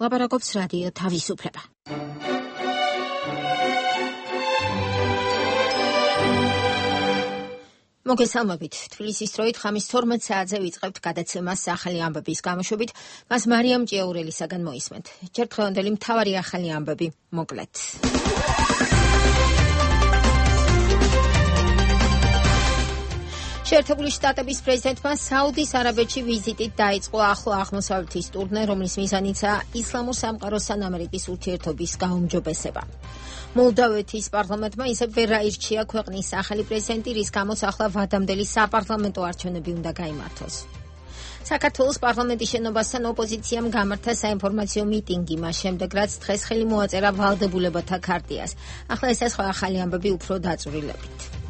ლაპარაკობს რადიო თავისუფლება. მოგესალმებით. თბილისის დროით ხამის 12 საათზე ვიწყებთ გადაცემას ახალი ამბების გამოშვებით. მას მარიამ ჭიაურელისაგან მოისმენთ. ჯერ დღევანდელი მთავარი ახალი ამბები მოკლედ. შეერთებული შტატების პრეზიდენტმა საუდის არაბეთში ვიზიტით დაიწყო ახლო აღმოსავლეთის ტურნე, რომლის მიზანიცაა ისლამურ სამყაროსთან ამერიკის ურთიერთობის გაუმჯობესება. მოლდოვეთის პარლამენტმა ისევ ვერ აირჩია ქვეყნის ახალი პრეზიდენტი, რის გამოც ახლა ვადამდელი საპარლამენტო არჩევნები უნდა გაიმართოს. საქართველოს პარლამენტის შენობასთან ოპოზიციამ გამართა საინფორმაციო მიტინგი, მას შემდეგ რაც დღეს ხელი მოაწერა ვალდებულებათა ქარტიას. ახლა ეს სხვა ახალი ამბები უფრო დაწვრილებით.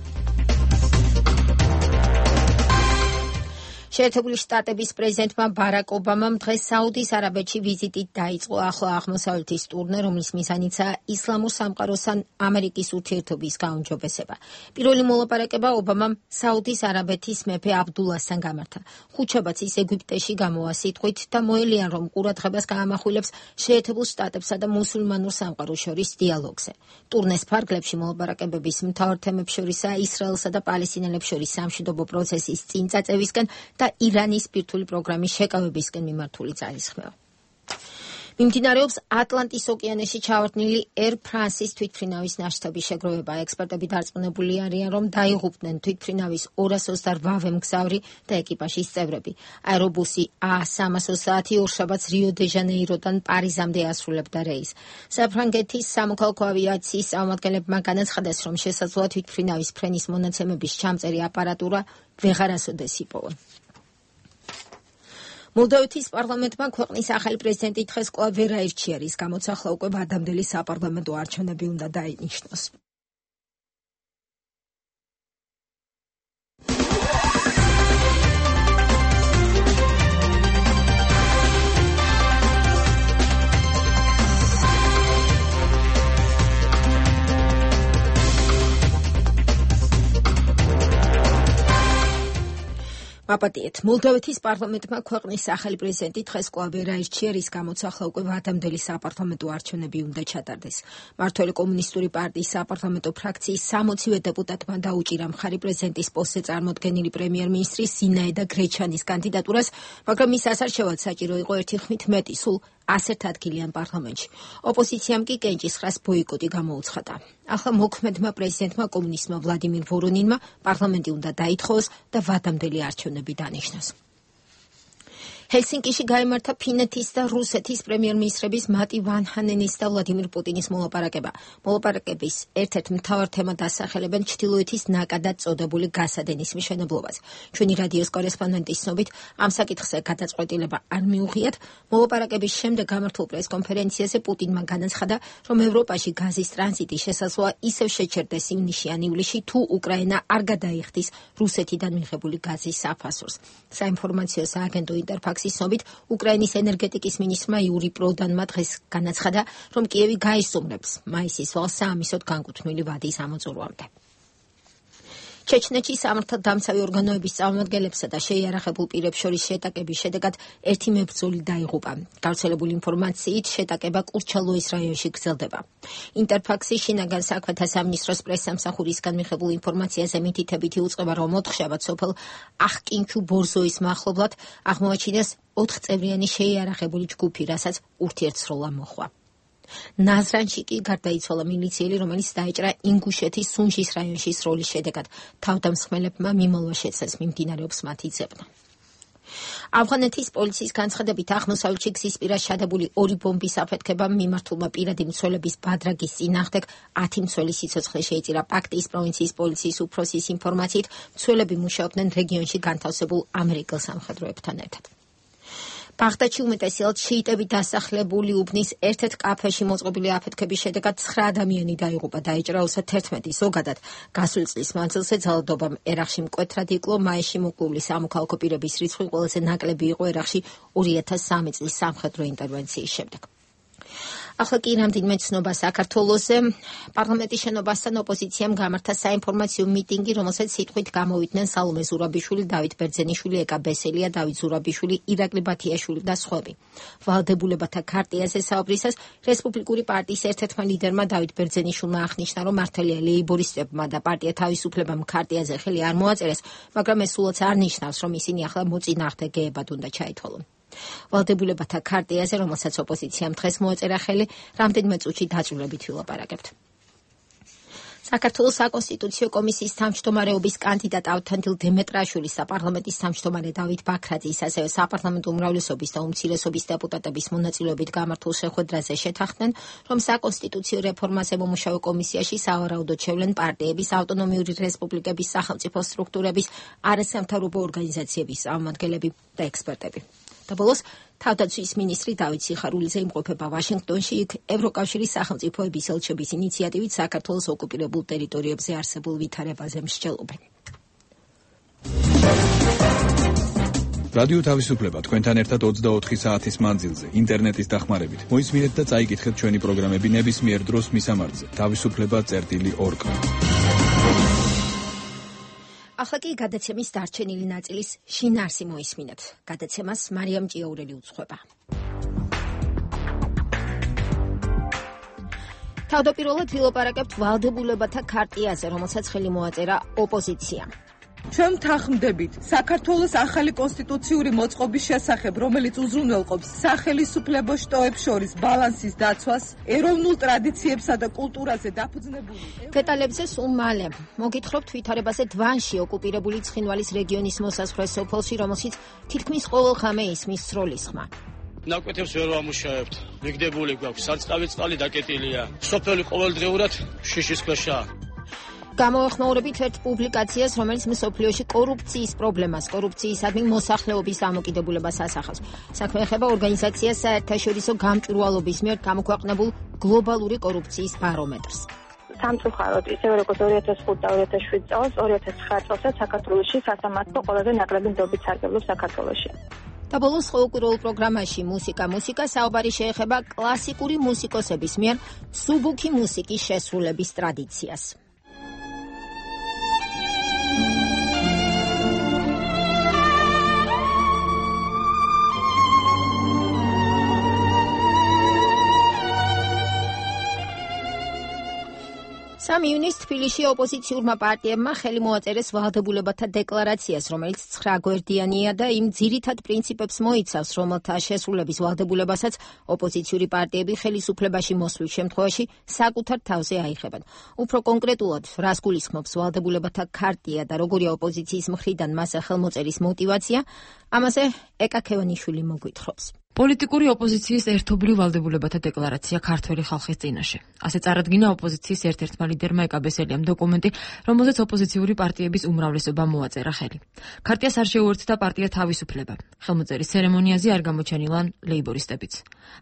შეერთებული შტატების პრეზიდენტმა ბარაკ ობამამ დღეს საუდის არაბეთში ვიზიტით დაიწყო ახლო აღმოსავლეთის ტურნე, რომლის მიზანიცაა ისლამურ სამყაროსთან ამერიკის ურთიერთობის გაუმჯობესება. პირველი მოლაპარაკება ობამამ საუდის არაბეთის მეფე აბდულასთან გამართა. ხუთშაბათს ის ეგვიპტეში გამოვა სიტყვით და მოელიან, რომ ყურადღებას გაამახვილებს შეერთებულ შტატებსა და მუსულმანურ სამყაროს შორის დიალოგზე. ტურნეს ფარგლებში მოლაპარაკებების მთავარ თემებს შორისაა ისრაელსა და პალესტინელებს შორის სამშვიდობო პროცესის წინ წაწევისკენ და ირანის სპირთული პროგრამის შეკავებისკენ მიმართული ძალისხმევა. მიმდინარეობს ატლანტის ოკეანეში ჩავარდნილი Air France-ის თვითმფრინავის ნაშთების შეგროვება. ექსპერტები დარწმუნებული არიან, რომ დაიღუპნენ თვითმფრინავის 228 მგზავრი და ეკიპაჟის წევრები. აერობუსი A330 ორშაბათს რიო-დე-ჟანეიროდან პარიზამდე ასრულებდა რეისს. საფრანგეთის სამოქალაქო ავიაციის წარმომადგენლებმა განაცხადეს, რომ შესაძლოა თვითმფრინავის ფრენის მონაცემების ჩამწერი აპარატურა ვეღარასოდეს იპოვონ. მოლდოვეთის პარლამენტმა ქვეყნის ახალი პრეზიდენტი დღეს კვლავ ვერ აირჩია, რის გამოც ახლა უკვე ვადამდელი საპარლამენტო არჩევნები უნდა დაინიშნოს. აპატიეთ. მოლდოვეთის პარლამენტმა ქვეყნის ახალი პრეზიდენტი დღეს კვლავ ვერ აირჩია, რის გამოც ახლა უკვე ვადამდელი საპარლამენტო არჩევნები უნდა ჩატარდეს. მმართველი კომუნისტური პარტიის საპარლამენტო ფრაქციის 60-ვე დეპუტატმა დაუჭირა მხარი პრეზიდენტის პოსტზე წარმოდგენილი პრემიერ-მინისტრი სინაედა გრეჩანის კანდიდატურას, მაგრამ მის ასარჩევად საჭირო იყო ერთი ხმით მეტი, სულ 101 ადგილიან პარლამენტში. ოპოზიციამ კი კენჭისყრას ბოიკოტი გამოუცხადა. ახლა მოქმედმა პრეზიდენტმა კომუნისტმა ვლადიმირ ვორონინმა პარლამენტი უნდა დაითხოვოს და ვადამდელი არჩევნები დანიშნოს. ჰელსინკიში გაიმართა ფინეთის და რუსეთის პრემიერ-მინისტრების მატი ვან ჰანენის და ვლადიმირ პუტინის მოლაპარაკება. მოლაპარაკების ერთ-ერთ მთავარ თემად ასახელებენ ჩრდილოეთის ნაკადად წოდებული გასადენის მშენებლობას. ჩვენი რადიოს კორესპონდენტის ცნობით, ამ საკითხზე გადაწყვეტილება არ მიუღიათ. მოლაპარაკების შემდეგ გამართულ პრესკონფერენციაზე პუტინმა განაცხადა, რომ ევროპაში გაზის ტრანზიტი შესაძლოა ისევ შეჩერდეს ივნისში ან ივლისში, თუ უკრაინა არ გადაიხდის რუსეთიდან მიღებული გაზის საფასურს. საინფორმაციო სააგენტო ინტერფაქსის ცნობით, უკრაინის ენერგეტიკის მინისტრმა იური პროდანმა დღეს განაცხადა, რომ კიევი გაისუმრებს მაისის ვალს საამისოდ განკუთვნილი ვადის ამოწურვამდე. ჩეჩნეთში სამართალდამცავი ორგანოების წარმომადგენლებსა და შეიარაღებულ პირებს შორის შეტაკების შედეგად ერთი მებრძოლი დაიღუპა. გავრცელებული ინფორმაციით, შეტაკება კურჩალოის რაიონში გრძელდება. ინტერფაქსის შინაგან საქმეთა სამინისტროს პრესსამსახურისგან მიღებულ ინფორმაციაზე მითითებითი უწყება, რომ ოთხშაბათს სოფელ ახკინჩუ ბორზოის მახლობლად აღმოაჩინეს 4 წევრიანი შეიარაღებული ჯგუფი, რასაც ურთიერთსროლა მოჰყვა. ნაზრანში კი გარდაიცვალა მილიციელი, რომელიც დაეჭრა ინგუშეთის სუნჟის რაიონში სროლის შედეგად. თავდამსხმელებმა მიმალვა შეცეს, მიმდინარეობს მათი ძებნა. ავღანეთის პოლიციის განცხადებით, აღმოსავლეთში გზის პირას ჩადებული 2 ბომბის აფეთქებამ მიმართულმა პირადი მცველების ბადრაგის წინააღმდეგ 10 მცველი სიცოცხლე შეიწირა. პაქტიის პროვინციის პოლიციის უფროსის ინფორმაციით, მცველები მუშაობდნენ რეგიონში განთავსებულ ამერიკელ სამხედროებთან ერთად. ბაღდადში უმეტესად შიიტები დასახლებული უბნის ერთ-ერთ კაფეში მოწყობილი აფეთქების შედეგად 9 ადამიანი დაიღუპა, დაეჭრა 11. ზოგადად გასული წლის მანძილზე ძალადობამ ერაყში მკვეთრად იკლო. მაისში მოკლული სამოქალაქო პირების რიცხვი ყველაზე ნაკლები იყო ერაყში 2003 წლის სამხედრო ინტერვენციის შემდეგ. ახლა კი რამდენიმე ცნობა საქართველოზე. პარლამენტის შენობასთან ოპოზიციამ გამართა საინფორმაციო მიტინგი, რომელსაც სიტყვით გამოვიდნენ სალომე ზურაბიშვილი, დავით ბერძენიშვილი, ეკა ბესელია, დავით ზურაბიშვილი, ირაკლი ბათიაშვილი და სხვები. ვალდებულებათა ქარტიაზე საუბრისას რესპუბლიკური პარტიის ერთ-ერთმა ლიდერმა დავით ბერძენიშვილმა აღნიშნა, რომ მართალია ლეიბორისტებმა და პარტია თავისუფლებამ ქარტიაზე ხელი არ მოაწერეს, მაგრამ ეს სულაც არ ნიშნავს, რომ ისინი ახლა მოწინააღმდეგეებად უნდა ჩაითვალონ. ვალდებულებათა ქარტიაზე, რომელსაც ოპოზიციამ დღეს მოეწერა ხელი, რამდენიმე წუთში დაწვრილებით ვილაპარაკებთ. საქართველოს საკონსტიტუციო კომისიის თავმჯდომარეობის კანდიდატ ავთანდილ დემეტრაშვილის, საპარლამენტის თავმჯდომარე დავით ბაქრაძის, ასევე საპარლამენტო უმრავლესობის და უმცირესობის დეპუტატების მონაწილეობით გამართულ შეხვედრაზე შეთანხმდნენ, რომ საკონსტიტუციო რეფორმაზე მომუშავე კომისიაში სავარაუდოდ შევლენ პარტიების, ავტონომიური რესპუბლიკების, სახელმწიფო სტრუქტურების, არასამთავრობო ორგანიზაციების წარმომადგენლები და ექსპერტები. და ბოლოს თავდაცვის მინისტრი დავით სიხარულიძე იმყოფება ვაშინგტონში, იქ ევროკავშირის სახელმწიფოების ელჩების ინიციატივით საქართველოს ოკუპირებულ ტერიტორიებზე არსებულ ვითარებაზე მსჯელობენ. რადიო თავისუფლება თქვენთან ერთად 24 საათის მანძილზე, ინტერნეტის დახმარებით. მოისმინეთ და წაიკითხეთ ჩვენი პროგრამები ნებისმიერ დროს მისამართზე. თავისუფლება.org. ახლა კი გადაცემის დარჩენილი ნაწილის შინაარსი მოისმინეთ. გადაცემას მარიამ ჭიაურელი უძღვება. თავდაპირველად ვილაპარაკებთ ვალდებულებათა ქარტიაზე, რომელსაც ხელი მოაწერა ოპოზიციამ. ჩვენ თანხმდებით საქართველოს ახალი კონსტიტუციური მოწყობის შესახებ, რომელიც უზრუნველყოფს სახელისუფლებო შტოებს შორის ბალანსის დაცვას, ეროვნულ ტრადიციებსა და კულტურაზე დაფუძნებული. დეტალებზე სულ მალე. მოგითხრობთ ვითარებაზე დვანში, ოკუპირებული ცხინვალის რეგიონის მოსაზღვრე სოფელში, რომელშიც თითქმის ყოველ ღამე ისმის სროლის ხმა. ნაკვეთებს ვერ ვამუშავებთ. მიგდებული გვაქვს, სარწყავი წყალი დაკეტილია. სოფელი ყოველდღიურად შიშის ქვეშაა. გამოვეხმაურებით ერთ პუბლიკაციას, რომელიც მსოფლიოში კორუფციის პრობლემას, კორუფციისადმი მოსახლეობის დამოკიდებულებას ასახავს. საქმე ეხება ორგანიზაციას საერთაშორისო გამჭვირვალობის მიერ გამოქვეყნებულ გლობალური კორუფციის ბარომეტრს. სამწუხაროდ, ისევე როგორც 2005 და 2007 წელს, 2009 წელსაც საქართველოში სასამართლო ყველაზე ნაკლები ნდობით სარგებლობს საქართველოში. და ბოლოს ყოველკვირეულ პროგრამაში მუსიკა საუბარი შეეხება კლასიკური მუსიკოსების მიერ სუბუქი მუსიკის შესრულების ტრადიციას. სამ ივნისს თბილისში ოპოზიციურმა პარტიებმა ხელი მოაწერეს ვალდებულებათა დეკლარაციას, რომელიც 9 გვერდიანია და იმ ძირითად პრინციპებს მოიცავს, რომელთა შესრულების ვალდებულებასაც ოპოზიციური პარტიები ხელისუფლებაში მოსვლის შემთხვევაში საკუთარ თავზე აიხებენ. უფრო კონკრეტულად, რას გულისხმობს ვალდებულებათა ქარტია და როგორია ოპოზიციის მხრიდან მასზე ხელმოწერის мотиваცია, ამაზე ეკა ქევანიშვილი მოგვითხრობს. პოლიტიკური ოპოზიციის ერთობლივ ვალდებულებათა დეკლარაცია ქართველი ხალხის წინაშე. ასე წარადგინა ოპოზიციის ერთ-ერთმა ლიდერმა ეკა ბესელიამ დოკუმენტი, რომელზეც ოპოზიციური პარტიების უმრავლესობამ მოაწერა ხელი. ქარტიას არ შეუერთდა პარტია თავისუფლება. ხელმოწერის ცერემონიაზე არ გამოჩენილან ლეიბორისტებიც.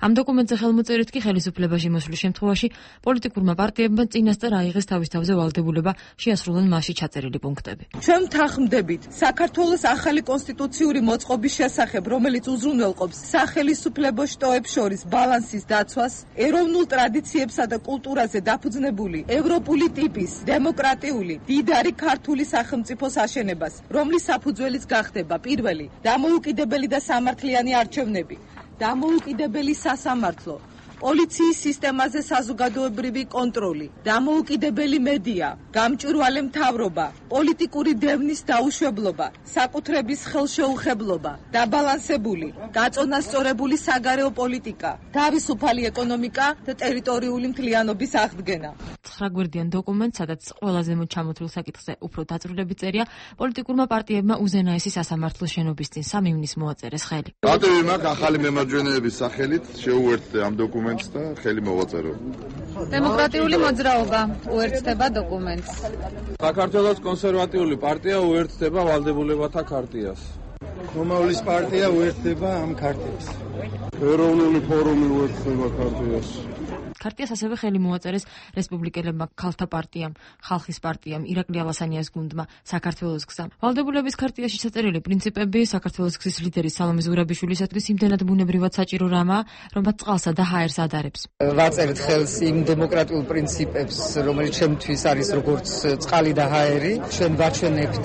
ამ დოკუმენტზე ხელმოწერით კი ხელისუფლებაში მოსვლის შემთხვევაში პოლიტიკურმა პარტიებმა წინასწარ აიღეს თავის თავზე ვალდებულება შეასრულონ მასში ჩაწერილი პუნქტები. ჩვენ თანხმდებით საქართველოს ახალი კონსტიტუციური მოწყობის შესახებ, რომელიც უზრუნველყოფს სახელისუფლებო შტოებს შორის ბალანსის დაცვას, ეროვნულ ტრადიციებსა და კულტურაზე დაფუძნებული ევროპული ტიპის დემოკრატიული დიდარი ქართული სახელმწიფოს აშენებას, რომლის საფუძველიც გახდება პირველი დამოუკიდებელი და სამართლიანი არჩევნები, დამოუკიდებელი სასამართლო, პოლიციის სისტემაზე საზოგადოებრივი კონტროლი, დამოუკიდებელი მედია, გამჭვირვალე მთავრობა, პოლიტიკური დევნის დაუშვებლობა, საკუთრების ხელშეუხებლობა, დაბალანსებული, გაწონასწორებული საგარეო პოლიტიკა, თავისუფალი ეკონომიკა და ტერიტორიული მთლიანობის აღდგენა. 9 გვერდიან დოკუმენტს, სადაც ყველაზე ჩამოთვლილ საკითხზე უფრო დაწვრილებით წერია, პოლიტიკურმა პარტიებმა უზენაესი სასამართლოს შენობის წინ 3 ივნისს მოაწერეს ხელი. პარტიები მაქვს ახალი მემარჯვენეების სახელით შეუერთდა ამ დოკუმენტს და ხელი მოვაწერო. დემოკრატიული მოძრაობა უერთდება დოკუმენტს. საქართველოს კონსერვატიული პარტია უერთდება ვალდებულებათა ქარტიას. მომავლის პარტია უერთდება ამ ქარტიას. ეროვნული ფორუმი უერთდება ქარტიას. ქარტიას ასევე ხელი მოაწერეს რესპუბლიკელებმა, ქალთა პარტიამ, ხალხის პარტიამ, ირაკლი ალასანიას გუნდმა, საქართველოს გზამ. ვალდებულების ქარტიაში ჩაწერილი პრინციპები საქართველოს გზის ლიდერის სალომე ზურაბიშვილისათვის იმდენად ბუნებრივად საჭირო რამაა, რომ მათ წყალსა და ჰაერს ადარებს. ვაწერთ ხელს იმ დემოკრატიულ პრინციპებს, რომელიც ჩემთვის არის როგორც წყალი და ჰაერი. ჩვენ ვაჩვენებთ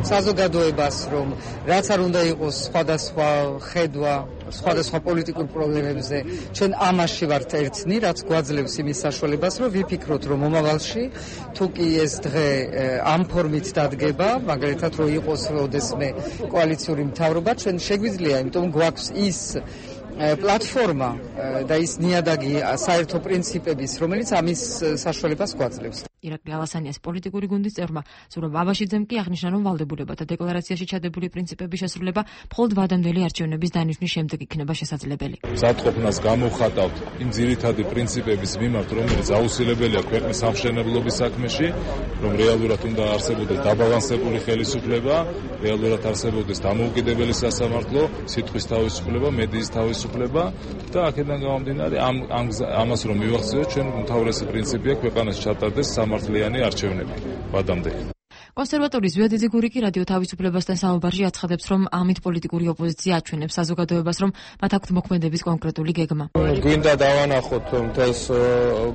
საზოგადოებას, რომ რაც არ უნდა იყოს სხვადასხვა ხედვა სხვადასხვა პოლიტიკურ პრობლემებზე, ჩვენ ამაში ვართ ერთნი, რაც გვაძლევს იმის საშუალებას, რომ ვიფიქროთ, რომ მომავალში თუ კი ეს დღე ამ ფორმით დადგება, მაგალითად რომ იყოს როდესმე კოალიციური მთავრობა, ჩვენ შეგვიძლია, იმიტომ გვაქვს ის პლატფორმა და ის ნიადაგი საერთო პრინციპების, რომელიც ამის საშუალებას გვაძლევს. ირაკლი ალასანიას პოლიტიკური გუნდის წევრმა ზურაბ აბაშიძემ კი აღნიშნა, რომ ვალდებულებათა დეკლარაციაში ჩადებული პრინციპების შესრულება მხოლოდ ვადამდელი არჩევნების დანიშვნის შემდეგ იქნება შესაძლებელი. მზადყოფნას გამოვხატავთ იმ ძირითადი პრინციპების მიმართ, რომელიც აუცილებელია ქვეყნის სამშენებლობის საქმეში, რომ რეალურად უნდა არსებობდეს დაბალანსებული ხელისუფლება, რეალურად არსებობდეს დამოუკიდებელი სასამართლო, სიტყვის თავისუფლება, მედიის თავისუფლება და აქედან გამომდინარე ამას რომ მივახციოთ, ჩვენ უმთავრესი პრინციპია ქვეყანას ჩატარდეს სამართლიანი არჩევნები ვადამდე. კონსერვატორი ზვიადიძე გურიკი რადიო თავისუფლებასთან საუბარში აცხადებს, რომ ამით პოლიტიკური ოპოზიცია აჩვენებს საზოგადოებას, რომ მათ აქვთ მოქმედების კონკრეტული გეგმა. გვინდა დავანახოთ მთელს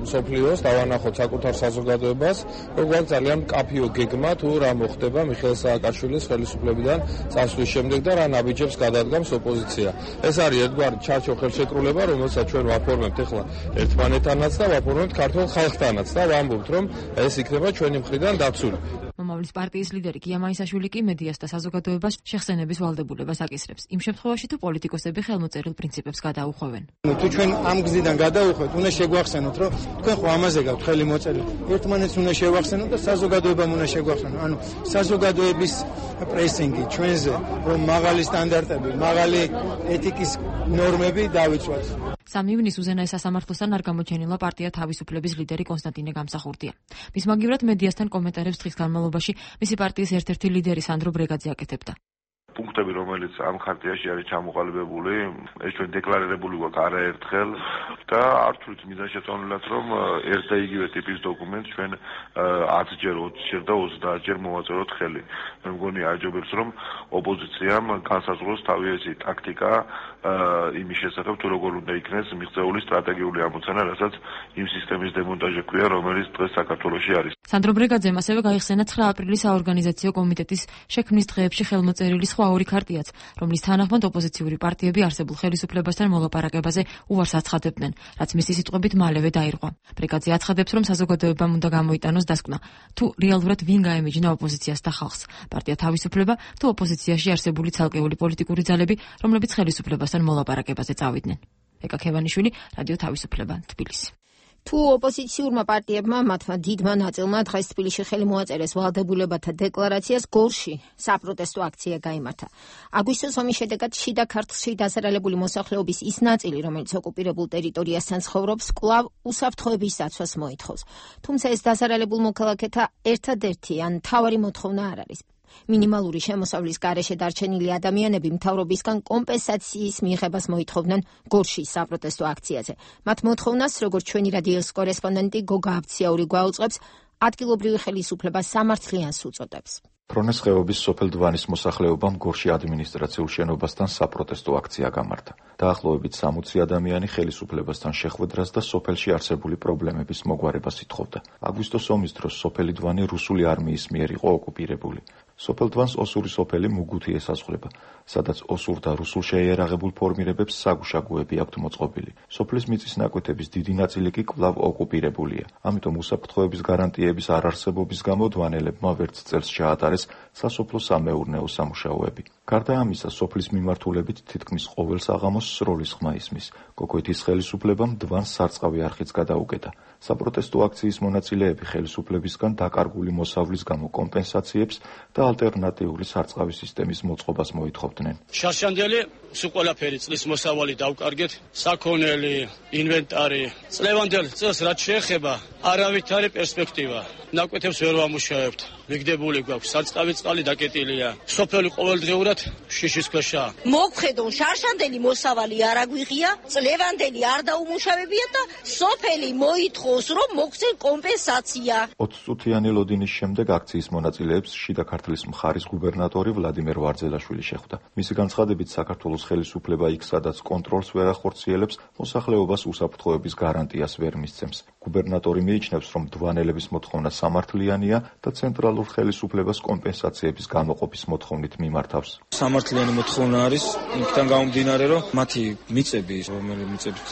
მსოფლიოს, დავანახოთ საკუთარ საზოგადოებას, რომ გვაქვს ძალიან მკაფიო გეგმა თუ რა მოხდება მიხეილ სააკაშვილის ხელისუფლებიდან წასვლის შემდეგ და რა ნაბიჯებს გადადგამს ოპოზიცია. ეს არის ერთგვარი ჩარჩო ხელშეკრულება, რომელსაც ჩვენ ვაფორმებთ ახლა ერთმანეთთანაც და ვაფორმებთ ქართულ ხალხთანაც და ვამბობთ, რომ ეს იქნება ჩვენი მხრიდან დაცული. მომავლის პარტიის ლიდერი გია მაისაშვილი კი მედიას და საზოგადოებას შეხსენების ვალდებულებას აკისრებს. იმ შემთხვევაში თუ პოლიტიკოსები ხელმოწერილ პრინციპებს გადაუხვევენ. თუ ჩვენ ამ გზიდან გადავუხვევთ, უნდა შეგვახსენოთ, რომ თქვენ ხო ამაზე გაქვთ ხელი მოწერილი. ერთმანეთს უნდა შევახსენოთ და საზოგადოებამ უნდა შეგვახსენოთ. ანუ საზოგადოების პრესინგი ჩვენზე, რომ მაღალი სტანდარტები, მაღალი ეთიკის ნორმები დავიცვათ. 3 ივნისს უზენაეს სასამართლოსთან არ გამოჩენილა პარტია თავისუფლების ლიდერი კონსტანტინე გამსახურდია. მის მაგივრად მედიასთან კომენტარებს დღის განმავლობაში მისი პარტიის ერთ-ერთი ლიდერი სანდრო ბრეგაძე აკეთებდა. პუნქტები, რომელიც ამ ხარტიაში არის ჩამოყალიბებული, ეს ჩვენ დეკლარირებული გვაქვს არაერთხელ და არ ვთვლით მიზანშეწონილად, რომ ერთ და იგივე ტიპის დოკუმენტს ჩვენ 10-ჯერ, 20-ჯერ და 30-ჯერ მოვაწეროთ ხელი. მე მგონი აჯობებს, რომ ოპოზიციამ განსაზღვროს თავი ესეთი ტაქტიკა იმის შესახებ, თუ როგორ უნდა იქნეს მიღწეული სტრატეგიული ამოცანა, რასაც იმ სისტემის დემონტაჟი ქვია, რომელიც დღეს საქართველოში არის. სანდრო ბრეგაძემ ასევე გაიხსენა 9 აპრილის საორგანიზაციო კომიტეტის შექმნის დღეებში ხელმოწერილი სხვა ორი ქარტიაც, რომლის თანახმად ოპოზიციური პარტიები არსებულ ხელისუფლებასთან მოლაპარაკებაზე უარს აცხადებდნენ, რაც მისი სიტყვებით მალევე დაირღვა. ბრეგაძე აცხადებს, რომ საზოგადოებამ უნდა გამოიტანოს დასკვნა, თუ რეალურად ვინ გაემიჯნა ოპოზიციას და ხალხს, პარტია თავისუფლება თუ ოპოზიციაში არსებული ცალკეული პოლიტიკური ძალები, რომლებიც ხელისუფლებასთან მოლაპარაკებაზე წავიდნენ. ეკა ქევანიშვილი, რადიო თავისუფლება, თბილისი. თუ ოპოზიციურმა პარტიებმა მათმა დიდმა ნაწილმა დღეს თბილისში ხელი მოაწერეს ვალდებულებათა დეკლარაციას, გორში საპროტესტო აქცია გაიმართა. აგვისტოს ომის შედეგად შიდა ქართლში დაზარალებული მოსახლეობის ის ნაწილი, რომელიც ოკუპირებულ ტერიტორიასთან ცხოვრობს, კვლავ უსაფრთხოების დაცვას მოითხოვს. თუმცა ეს დაზარალებულ მოქალაქეთა ერთადერთი ან მთავარი მოთხოვნა არ არის. მინიმალური შემოსავლის გარეშე დარჩენილი ადამიანები მთავრობისგან კომპენსაციის მიღებას მოითხოვდნენ გორშის საპროტესტო აქციაზე. მათ მოთხოვნას, როგორც ჩვენი რადიოს კორესპონდენტი გოგა აბციაური გვაუწყებს, ადგილობრივი ხელისუფლება სამართლიანს უწოდებს. ფრონეს ხეობის სოფელ დვანის მოსახლეობამ გორში ადმინისტრაციულ შენობასთან საპროტესტო აქცია გამართა. დაახლოებით 60 ადამიანი ხელისუფლებასთან შეხვედრას და სოფელში არსებული პრობლემების მოგვარებას ითხოვდა. აგვისტოს ომის დროს სოფელი დვანი რუსული არმიის მიერ იყო ოკუპირებული. სოფელ დვანს ოსური სოფელი მუგუთი ესაზღვრება, სადაც ოსურ და რუსულ შეიარაღებულ ფორმირებებს საგუშაგოები აქვთ მოწყობილი. სოფლის მიწის ნაკვეთების დიდი ნაწილი კი კვლავ ოკუპირებულია. ამიტომ უსაფრთხოების გარანტიების არარსებობის გამო დვანელებმა ვერც წელს ჩაატარეს სასოფლო-სამეურნეო სამუშაოები. გარდა ამისა, სოფლის მიმართულებით თითქმის ყოველ საღამოს სროლის ხმა ისმის. გოგვეთის ხელისუფლებამ დვანს სარწყავი არხიც გადაუკეთა. საპროტესტო აქციის მონაწილეები ხელისუფლებისგან დაკარგული მოსავლის გამო კომპენსაციებს და ალტერნატიული სარწყავი სისტემის მოწყობას მოითხოვდნენ. შარშანდელი სულ ყველაფერი წლის მოსავალი დავკარგეთ, საქონელი, ინვენტარი, წლევანდელ წელს რაც შეეხება, არავითარი პერსპექტივა. ნაკვეთებს ვერ ვამუშავებთ. მიგდებული გვაქვს, სარწყავი წყალი დაკეტილია. სოფელი ყოველდღიურად შიშის ქვეშაა. მოგხედონ შარშანდელი მოსავალი არ აგვიღია, წლევანდელი არ დაუმუშავებია და სოფელი მოითხოვს, რომ მოგცენ კომპენსაცია. 20 წუთიანი ლოდინის შემდეგ აქციის მონაწილეებს შიდა ქართლის მხარის გუბერნატორი ვლადიმერ ვარძელაშვილი შეხვდა. მისი განცხადებით, საქართველოს ხელისუფლება იქ, სადაც კონტროლს ვერ ახორციელებს, მოსახლეობას უსაფრთხოების გარანტიას ვერ მისცემს. გუბერნატორი მიიჩნევს, რომ მდვანელების მოთხოვნა სამართლიანია და ცენტრალურ ხელისუფლებას კომპენსაციების გამოყოფის მოთხოვნით მიმართავს. სამართლიანი მოთხოვნა არის იქიდან გამომდინარე, რომ მათი მიწები, რომელი მიწებიც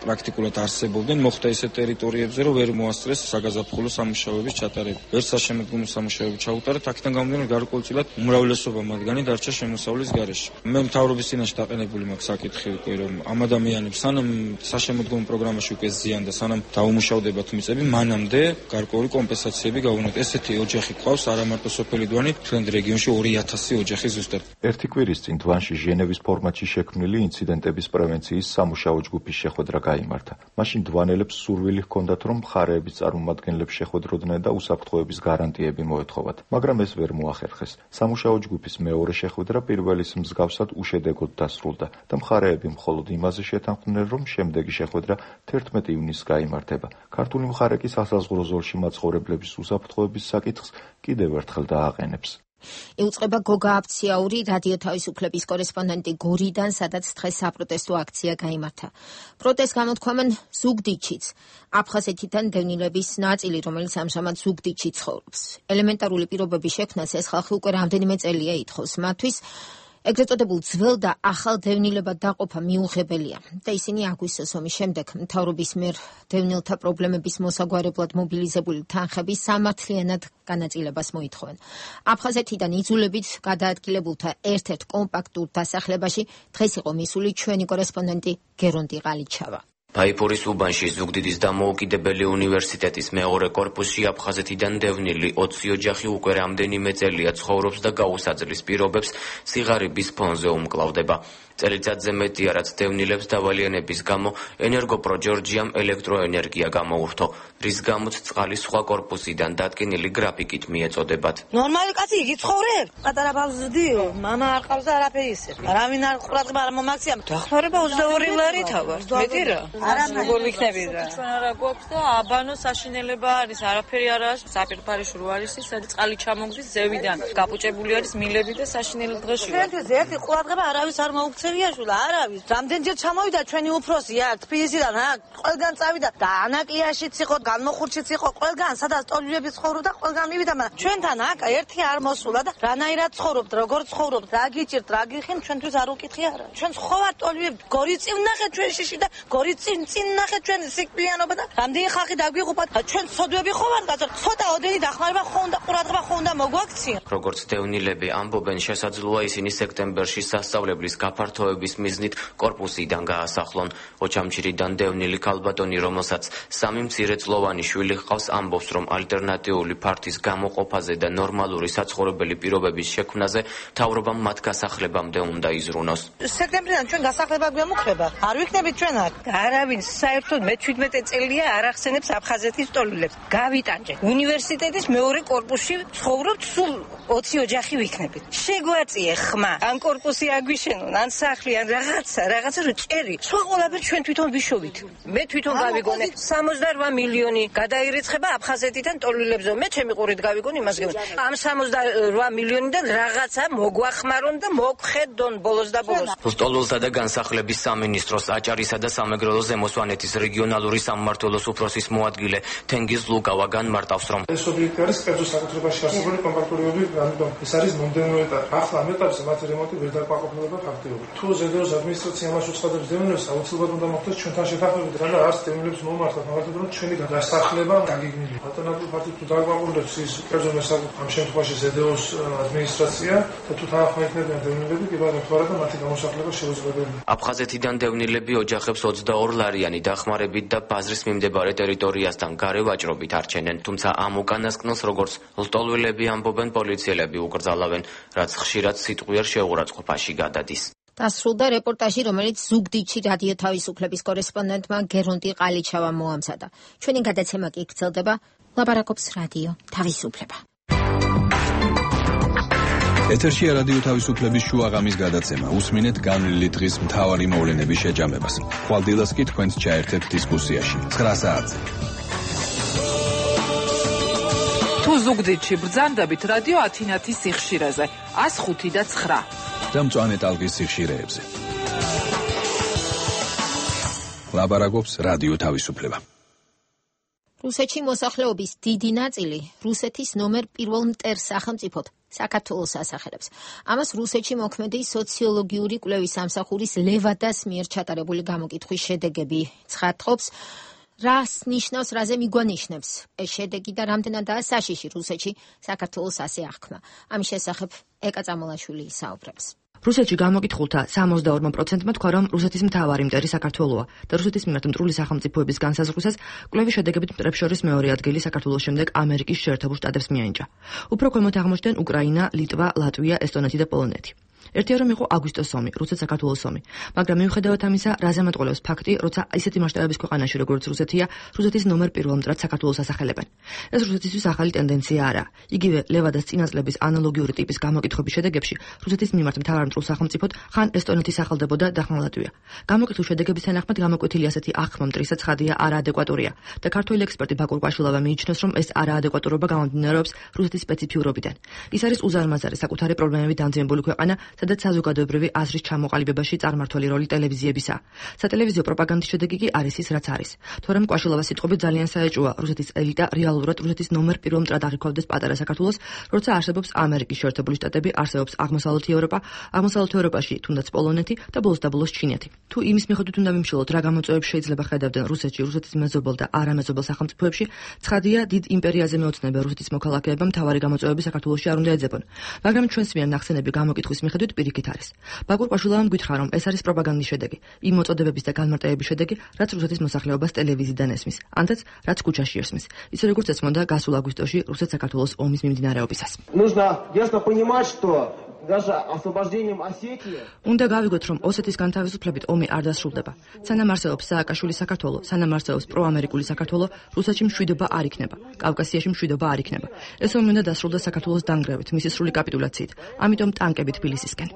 პრაქტიკულად არსებობდნენ, მოხდა ისეთ ტერიტორიებზე, რომ ვერ მოასწრეს საგაზაფხულო სამუშაოების ჩატარება. ვერ საშემოდგომო სამუშაოები ჩაუტარეთ, აქედან გამომდინარე, გარკვეულწილად უმრავლესობა მათგანი დარჩა შემოსავლის გარეშე. მე მთავრობის წინაშე დაყენებული მაქვს საკითხი უკვე, რომ ამ ადამიანებს სანამ საშემოდგომო პროგრამაში უკვე ზიან და სანამ დაუმუშავდებათ მიწები, მანამდე გარკვეული კომპენსაციები გავუნოთ. ესეთი ოჯახი ყავს არა მარტო სოფელი დვანი, ჩვენ რეგიონში 2000 ოჯახი ზუსტად. ერთი კვირის წინ დვანში ჟენევის ფორმატში შექმნილი ინციდენტების პრევენციის სამუშაო ჯგუფის შეხვედრა გაიმართა. მაშინ დვანელებს სურვილი ჰქონდათ, რომ მხარეების წარმომადგენლებს შეხვედროდნენ და უსაფრთხოების გარანტიები მოეთხოვათ, მაგრამ ეს ვერ მოახერხეს. სამუშაო ჯგუფის მეორე შეხვედრა პირველის მსგავსად უშედეგოდ დასრულდა და მხარეები მხოლოდ იმაზე შეთანხმდნენ, რომ შემდეგი შეხვედრა 11 ივნისს გაიმართება. ქართული მხარე კი სასაზღვრო ზოლში მაცხოვრებლების უსაფრთხოების საკითხს კიდევ ერთხელ დააყენებს. იუწყება გოგა აფციაური რადიო თავისუფლების კორესპონდენტი გორიდან, სადაც დღეს საპროტესტო აქცია გაიმართა. პროტესტს გამოთქვამენ ზუგდიდშიც, აფხაზეთიდან დევნილების ნაწილი, რომელიც ამჟამად ზუგდიდში ცხოვრობს. ელემენტარული პირობების შექმნას ეს ხალხი უკვე რამდენიმე წელია ითხოვს. მათთვის ეგრეთ წოდებულ ძველ და ახალ დევნილებად დაყოფა მიუღებელია და ისინი აგვისტოს ომის შემდეგ მთავრობის მიერ დევნილთა პრობლემების მოსაგვარებლად მობილიზებული თანხების სამართლიანად განაწილებას მოითხოვენ. აფხაზეთიდან იძულებით გადაადგილებულთა ერთ-ერთ კომპაქტურ დასახლებაში დღეს იყო მისული ჩვენი კორესპონდენტი გერონტი ყალიჩავა. ფაიფურის უბანში ზუგდიდის დამოუკიდებელი უნივერსიტეტის მეორე კორპუსში აფხაზეთიდან დევნილი 20 ოჯახი უკვე რამდენიმე წელია ცხოვრობს და გაუსაძლის პირობებს სიღარიბის ფონზე უმკლავდება. წელიწადზე მეტია, რაც დევნილებს დავალიანების გამო ენერგოპროჯორჯიამ ელექტროენერგია გამოურთო, რის გამოც წყალი სხვა კორპუსიდან დადგენილი გრაფიკით მიეწოდებათ. ნორმალი კაცი იგი ცხოვრებს? პატარა ბავშვი ზრდიო, მამა არ ყავს და არაფერი ისე. არავინ არ ყურადღება არ მომაქცია. დახმარება 22 ლარი თავარ. მეტი რა. არა როგორ ვიქნები რა. ჩვენ არა გვაქვს და აბანო საშინელება არის, არაფერი არ არის. საპირფარეში რო არის, სადაც წყალი ჩამოგდის ზევიდან. გაპუჭებული არის მილები და საშინელი დღეში. ჩვენთვის ერთი ყურადღება არავის არ მოუქცევია. არავის. რამდენჯერ ჩამოვიდა ჩვენი უფროსი აქ თბილისიდან, ყველგან წავიდა და ანაკიაშიც იყო, განმოხურჩიც იყო, ყველგან სადაც ტოლიბები ცხოვრობდა, ყველგან მივიდა, მაგრამ ჩვენთან აქ ერთი არ მოსულა და რანაირად ცხოვრობთ, როგორ ცხოვრობთ, რა გიჭირთ, რა გიხენ, ჩვენთვის არ უკითხი არა. ჩვენ ხოვართ ტოლიბები, გორიწინ ნახეთ ჩვენ შიში და გორიწინ ნახეთ ჩვენ სიკვდილიანობა და რამდენი ხალხი დაგვიღუპათ, ჩვენ სოდვები ხოვართ, ცოტა ოდენი დახმარება ხონდა, ყურადღება ხონდა მოგვაქცია. როგორც დევნილები ამბობენ, შესაძლოა ისინი სექტემბერში სასწავლებლის გაფართოების მიზნით კორპუსიდან გაასახლონ. ოჩამჩირიდან დევნილი ქალბატონი, რომელსაც 3 მცირეწლოვანი შვილი ჰყავს, ამბობს, რომ ალტერნატიული ფართის გამოყოფაზე და ნორმალური საცხოვრებელი პირობების შექმნაზე მთავრობამ მათ გასახლებამდე უნდა იზრუნოს. სექტემბრიდან ჩვენ გასახლება გვემუქრება. არ ვიქნებით ჩვენ აქ. არავინ საერთოდ მე 17 წელია არ ახსენებს აფხაზეთის ტოლილებს. გავიტანჯეთ. უნივერსიტეტის მეორე კორპუსში ცხოვრობთ, სულ 20 ოჯახი ვიქნებით. შეგვაწიე ხმა. ან კორპუსი აგვიშენონ, ან სახლი, ან რაღაცა რო ჭერი. სხვა ყველაფერი ჩვენ თვითონ ვიშოვით. მე თვითონ გავიგონე 68 მილიონი გადაირიცხება აფხაზეთიდან ტოლილებზე. მე ჩემი ყურით გავიგონე იმას გეუბნები. ამ 68 მილიონიდან რაღაცა მოგვახმარონ და მოგხედონ ბოლოს და ბოლოს. ლტოლვილთა და განსახლების სამინისტროს აჭარისა და სამეგრელო ზემოსვანეთის რეგიონალური სამმართველოს უფროსის მოადგილე თენგიზ ლუკავა განმარტავს, რომ ეს ობიექტი არის კერძო საკუთრებაში არსებული კომპაქტურობები, ამიტომ ეს არის მომდევნო ეტაპი. ახლა ამ ეტაპზე მათი რემონტი ვერ დაკმაყოფილება ფაქტიურად. თუ ზედოოს ადმინისტრაცია მას უცხადებს დევნილებს, აუცილებლად უნდა მოხდეს ჩვენთან შეთანხმებით, რა და არც დევნილებს მომართოთ, მაგალითად რომ ჩვენი დასახლება გაგიგნილი. ალტერნატიული ფაქტი თუ დაკმაყოფილებს ის კერძო მესაკუთრება, ამ შემთხვევაში ზედოოს ადმინისტრაცია და თუ თანახმდებიან დევნილები, კი ბატონო თვარა და მათი გამოსახლება შეუძლებელია. აფხაზეთიდან დევნილები ოჯახებს 22 ლარიანი დახმარებით და ბაზრის მიმდებარე ტერიტორიასთან გარე ვაჭრობით არჩენენ, თუმცა ამ უკანასკნელს, როგორც ლტოლვილები ამბობენ, პოლიციელები უკრძალავენ, რაც ხშირად სიტყვიერ შეურაცხყოფაში გადადის. დასრულდა რეპორტაჟი, რომელიც ზუგდიდში რადიო თავისუფლების კორესპონდენტმა გერონტი ყალიჩავამ მოამზადა. ჩვენი გადაცემა კი გრძელდება. ლაპარაკობს რადიო თავისუფლება. ეთერშია რადიო თავისუფლების შუაღამის გადაცემა. უსმინეთ განვლილი დღის მთავარი მოვლენების შეჯამებას. ხვალდილას კი თქვენს ჩაერთეთ დისკუსიაში. 9 საათზე. თუ ზუგდიდში ბრძანდებით რადიო ათინათის სიხშირეზე 105 და 9 და მწვანე ტალღის სიხშირეებზე. ლაბარაკობს რადიო თავისუფლება. რუსეთში მოსახლეობის დიდი ნაწილი რუსეთის ნომერ 1 მტერ სახელმწიფოდ საქართველოს ასახელებს. ამას რუსეთში მოქმედი სოციოლოგიური კვლევის სამსახურის ლევადას მიერ ჩატარებული გამოკითხვის შედეგები ცხადყოფს. რას ნიშნავს, რაზე მიგვანიშნებს ეს შედეგი და რამდენადაა საშიში რუსეთში საქართველოს ასე აღქმა. ამის შესახებ ეკა წამალაშვილი საუბრობს. რუსეთში გამოკითხულთა 62%-მა თქვა, რომ რუსეთის მთავარი მტერი საქართველოა და რუსეთის მიმართ მტრული სახელმწიფოების განსაზღვრისას კვლევის შედეგებით მტრებს შორის მეორე ადგილი საქართველოს შემდეგ ამერიკის შეერთებულ შტატებს მიენიჭა. უფრო ქვემოთ აღმოჩნდნენ უკრაინა, ლიტვა, ლატვია, ესტონეთი და პოლონეთი. ერთია რომ იყო აგვისტოს ომი, რუსეთ-საქართველოს ომი, მაგრამ მიუხედავად ამისა, რაზე მეტყოლებს ფაქტი, როცა ისეთი მასშტაბების ქვეყანაში როგორც რუსეთია, რუსეთის ნომერ 1 მტრად საქართველოს ასახელებენ. ეს რუსეთისთვის ახალი ტენდენცია არა. იგივე ლევადას წინასწლების ანალოგიური ტიპის გამოკითხების შედეგებში რუსეთის მიმართ მთავარ მტრულ სახელმწიფოდ ხან ესტონეთი სახელდებოდა და ხან ლატვია. გამოკითხვის შედეგების თანახმად გამოკვეთილი ასეთი აღქმა მტრისა ცხადია არაადეკვატურია და ქართველი ექსპერტი ბაკურ კვაშილავა მიიჩნევს, რომ ეს არაადეკვატურობა გამომდინარეობს რუსეთის სპეციფიურობიდან. ის არის უზარმაზარი საკუთარი პრობლემებით დამძიმებული ქვეყანა, სადაც საზოგადოებრივი აზრის ჩამოყალიბებაში წარმმართველი როლი ტელევიზიებისაა. სატელევიზიო პროპაგანდის შედეგი კი არის ის, რაც არის. თორემ კვაშილავას სიტყვებით ძალიან საეჭვოა რუსეთის ელიტა რეალურად რუსეთის ნომერ 1 მტრად აღიქვამდეს პატარა საქართველოს, როცა არსებობს ამერიკის შეერთებული შტატები, არსებობს აღმოსავლეთი ევროპა, აღმოსავლეთ ევროპაში თუნდაც პოლონეთი და ბოლოს და ბოლოს ჩინეთი. თუ იმის მიხედვით უნდა ვიმშილოთ, რა გამოწვევებს შეიძლება ხედავდნენ რუსეთში, რუსეთის მეზობელ და არამეზობელ სახელმწიფოებში, ცხადია, დიდ იმპერიაზე მეოცნებია რუსეთის მოქალაქეებმა მთავარი გამოწვევები საქართველოში არ უნდა ეძებონ. მაგრამ ჩვენს მიერ ნახსენები გამოკითხვის მიხედვით პირიქით არის. ბაკურ კვაშილავამ გითხრა, რომ ეს არის პროპაგანდის შედეგი, იმ მოწოდებების და განმარტებების შედეგი, რაც რუსეთის მოსახლეობას ტელევიზიიდან ესმის, ანთაც რაც ქუჩაში ესმის. ისე როგორც ესმოდა გასულ აგვისტოში რუსეთ-საქართველოს ომის მიმდინარეობისას. უნდა გავიგოთ, რომ ოსეთის განთავისუფლებით ომი არ დასრულდება. სანამ არსებობს სააკაშვილის საქართველო, სანამ არსებობს პროამერიკული საქართველო, რუსეთში მშვიდობა არ იქნება, კავკასიაში მშვიდობა არ იქნება. ეს ომი უნდა დასრულდეს საქართველოს დანგრევით, მისი სრული კაპიტულაციით. ამიტომ ტანკები თბილისისკენ.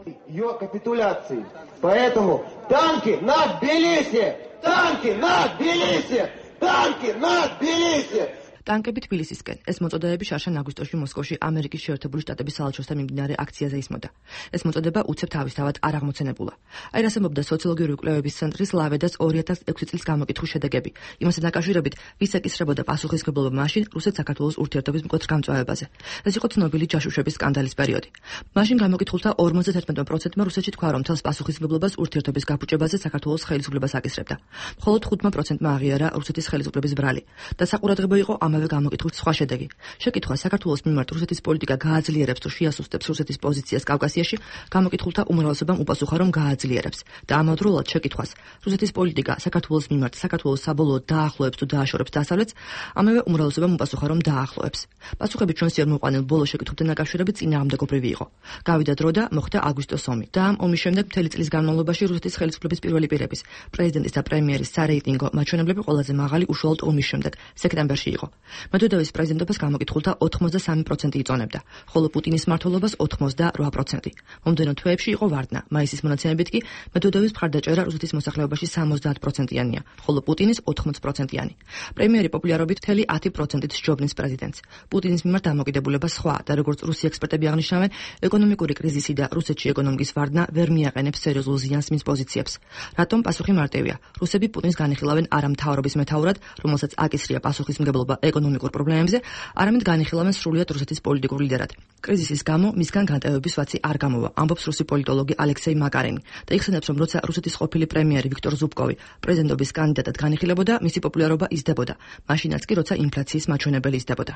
Поэтому танки на Тбилиси! Танки на Тбилиси! Танки на Тбилиси! ტანკები თბილისისკენ. ეს მოწოდებები შარშან აგვისტოში მოსკოვში ამერიკის შეერთებული შტატების საელჩოსთან მიმდინარე აქციაზე ისმოდა. ეს მოწოდება უცებ თავისთავად არ აღმოცენებულა. აი რასამობდა სოციოლოგიური კვლევების ცენტრის ლავედას 2006 წლის გამოკითხვის შედეგები. იმასთან დაკავშირებით, ვის ეკისრებოდა პასუხისმგებლობა მაშინ რუსეთ-საქართველოს ურთიერთობის მკვეთრ გამწვავებაზე. ეს იყო ცნობილი ჯაშუშების სკანდალის პერიოდი. მაშინ გამოკითხულთა 51%-მა რუსეთში თქვა, რომ თელს პასუხისმგებლობას ურთიერთობის გაფუჭებაზე საქართველოს ხელისუფლებას აკისრებდა. მხოლოდ 5%-მა აღიარა რუსეთის ხელისუფლების ბრალი. და საყურადღებო იყო ამავე გამოკითხვის სხვა შედეგი. შეკითხვა საქართველოს მიმართ რუსეთის პოლიტიკა გააძლიერებს თუ შეასუსტებს რუსეთის პოზიციას კავკასიაში, გამოკითხულთა უმრავლესობამ უპასუხა, რომ გააძლიერებს. და ამავდროულად შეკითხვას რუსეთის პოლიტიკა საქართველოს მიმართ საქართველოს საბოლოოდ დაახლოებს თუ დააშორებს დასავლეთს, ამავე უმრავლესობამ უპასუხა, რომ დაახლოებს. პასუხები ჩვენს ერთ მოყვანილ ბოლო შეკითხვებთან დაკავშირებით წინააღმდეგობრივი იყო. გავიდა დრო და მოხდა აგვისტოს ომი. და ამ ომის შემდეგ მთელი წლის განმავლობაში რუსეთის ხელისუფლების პირველი პირების, პრეზიდენტის და პრემიერის სარეიტინგო მაჩვენებლები ყველაზე მაღალი უშუალოდ ომის შემდეგ, სექტემბერში იყო. მედვედევის პრეზიდენტობას გამოკითხულთა 83% იწონებდა, ხოლო პუტინის მმართველობას 88%. მომდევნო თვეებში იყო ვარდნა. მაისის მონაცემებით კი მედვედევის მხარდაჭერა რუსეთის მოსახლეობაში 70%-იანია, ხოლო პუტინის 80%-იანი. პრემიერი პოპულარობით მთელი 10%-ით სჯობნის პრეზიდენტს. პუტინის მიმართ დამოკიდებულება სხვა და როგორც რუსი ექსპერტები აღნიშნავენ, ეკონომიკური კრიზისი და რუსეთში ეკონომიკის ვარდნა ვერ მიაყენებს სერიოზულ ზიანს მის პოზიციებს. რატომ პასუხი მარტივია. რუსები პუტინს განიხილავენ არა მთავრობის მეთაურად, რომელსაც აკისრია პასუხისმგებლობა ეკონომიკურ პრობლემებზე, არამედ განიხილავენ სრულიად რუსეთის პოლიტიკურ ლიდერად. კრიზისის გამო მისგან განტევების ვაცი არ გამოვა, ამბობს რუსი პოლიტოლოგი ალექსეი მაკარენი და იხსენებს, რომ როცა რუსეთის ყოფილი პრემიერი ვიქტორ ზუბკოვი პრეზიდენტობის კანდიდატად განიხილებოდა, მისი პოპულარობა იზრდებოდა, მაშინაც კი როცა ინფლაციის მაჩვენებელი იზრდებოდა.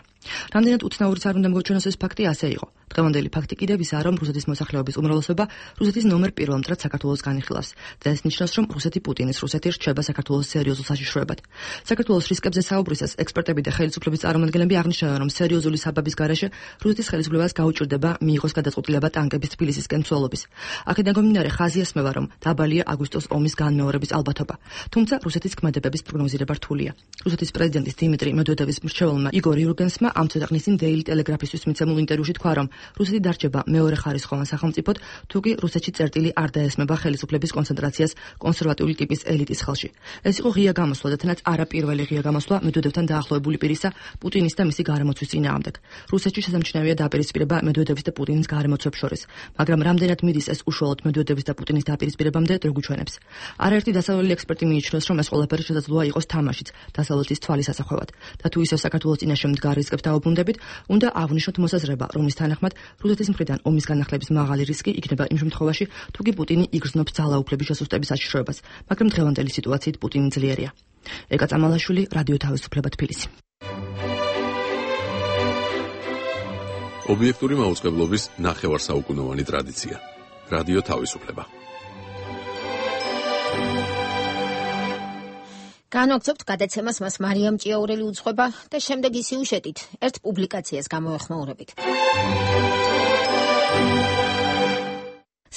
რამდენად უცნაურიც არ უნდა მოგჩვენოს ეს ფაქტი, ასე იყო. დღევანდელი ფაქტი კიდევ ისაა, რომ რუსეთის მოსახლეობის უმრავლესობა რუსეთის ნომერ 1 მტრად საქართველოს განიხილავს და ეს ნიშნავს, რომ რუსეთი პუტინის რუსეთი რჩება საქართველოს სერიოზულ საშიშროებად. საქართველოს რისკებზე საუბრისას ექსპერტები და ხელისუფლების წარმომადგენლები აღნიშნავენ, რომ სერიოზული საბაბის გარეშე რუსეთის ხელისუფლებას გაუჭირდება მიიღოს გადაწყვეტილება ტანკების თბილისისკენ ცვალობის. აქედან გამომდინარე ხაზი ესმევა, რომ დაბალია აგვისტოს ომის განმეორების ალბათობა. თუმცა რუსეთის ქმედებების პროგნოზირება რთულია. რუსეთის პრეზიდენტის დიმიტრი მედვედევის მრჩეველმა იგორ იურგენსმა ამ ცოტა ხნის წინ Daily Telegraph-ისთვის მიცემულ ინტერვიუში თქვა, რომ რუსეთი დარჩება მეორე ხარისხოვან სახელმწიფოდ, თუკი რუსეთში წერტილი არ დაესმება ხელისუფლების კონცენტრაციას კონსერვატიული ტიპის ელიტის ხელში. ეს იყო ღია გამოსვლა და თანაც არაპირველი ღია გამოსვლა მედვედევთან დაახლოებული პირისა პუტინის და მისი გარემოცვის წინააღმდეგ. რუსეთში შესამჩნევია დაპირისპირება მედვედევის და პუტინის გარემოცვებს შორის, მაგრამ რამდენად მიდის ეს უშუალოდ მედვედევის და პუტინის დაპირისპირებამდე დრო გვიჩვენებს. არაერთი დასავლელი ექსპერტი მიიჩნევს, რომ ეს ყველაფერი შესაძლოა იყოს თამაშიც დასავლეთის თვალის ასახვევად და თუ ისევ საქართველოს წინაშე მდგარ რისკებს დაუბრუნდებით, უნდა აღვნიშნოთ მოსაზრება, რომლის თანახმად რუსეთის მხრიდან ომის განახლების მაღალი რისკი იქნება იმ შემთხვევაში, თუ კი პუტინი იგრძნობს ძალაუფლების შესუსტების საშიშროებას, მაგრამ დღევანდელი სიტუაციით პუტინი ძლიერია. ეკა წამალაშვილი, რადიო თავისუფლება თბილისი. ობიექტური მაუწყებლობის ნახევარსაუკუნოვანი ტრადიცია. რადიო თავისუფლება. განვაგრძობთ გადაცემას, მას მარიამ ჭიაურელი უძღვება და შემდეგი სიუჟეტით ერთ პუბლიკაციას გამოეხმაურებით.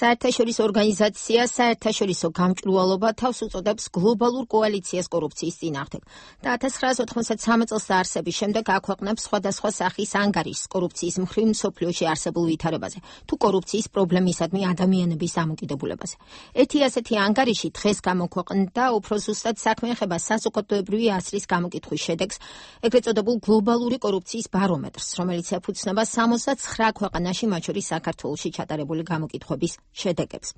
საერთაშორისო ორგანიზაცია საერთაშორისო გამჭვირვალობა თავს უწოდებს გლობალურ კოალიციას კორუფციის წინააღმდეგ და 1993 წელს დაარსების შემდეგ აქვეყნებს სხვადასხვა სახის ანგარიშს კორუფციის მხრივ მსოფლიოში არსებულ ვითარებაზე თუ კორუფციის პრობლემისადმი ადამიანების დამოკიდებულებაზე. ერთი ასეთი ანგარიში დღეს გამოქვეყნდა უფრო ზუსტად საქმე ეხება საზოგადოებრივი აზრის გამოკითხვის შედეგს, ეგრეთ წოდებულ გლობალური კორუფციის ბარომეტრს, რომელიც ეფუძნება 69 ქვეყანაში, მათ შორის საქართველოში ჩატარებული გამოკითხვების შედეგებს.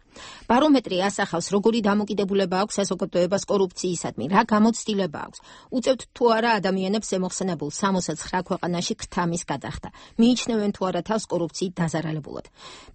ბარომეტრი ასახავს, როგორი დამოკიდებულება აქვს საზოგადოებას კორუფციისადმი, რა გამოცდილება აქვს. უწევთ თუ არა ადამიანებს ემოხსენებულ 69 ქვეყანაში ქრთამის გადახდა. მიიჩნევენ თუ არა თავს კორუფციით დაზარალებულად.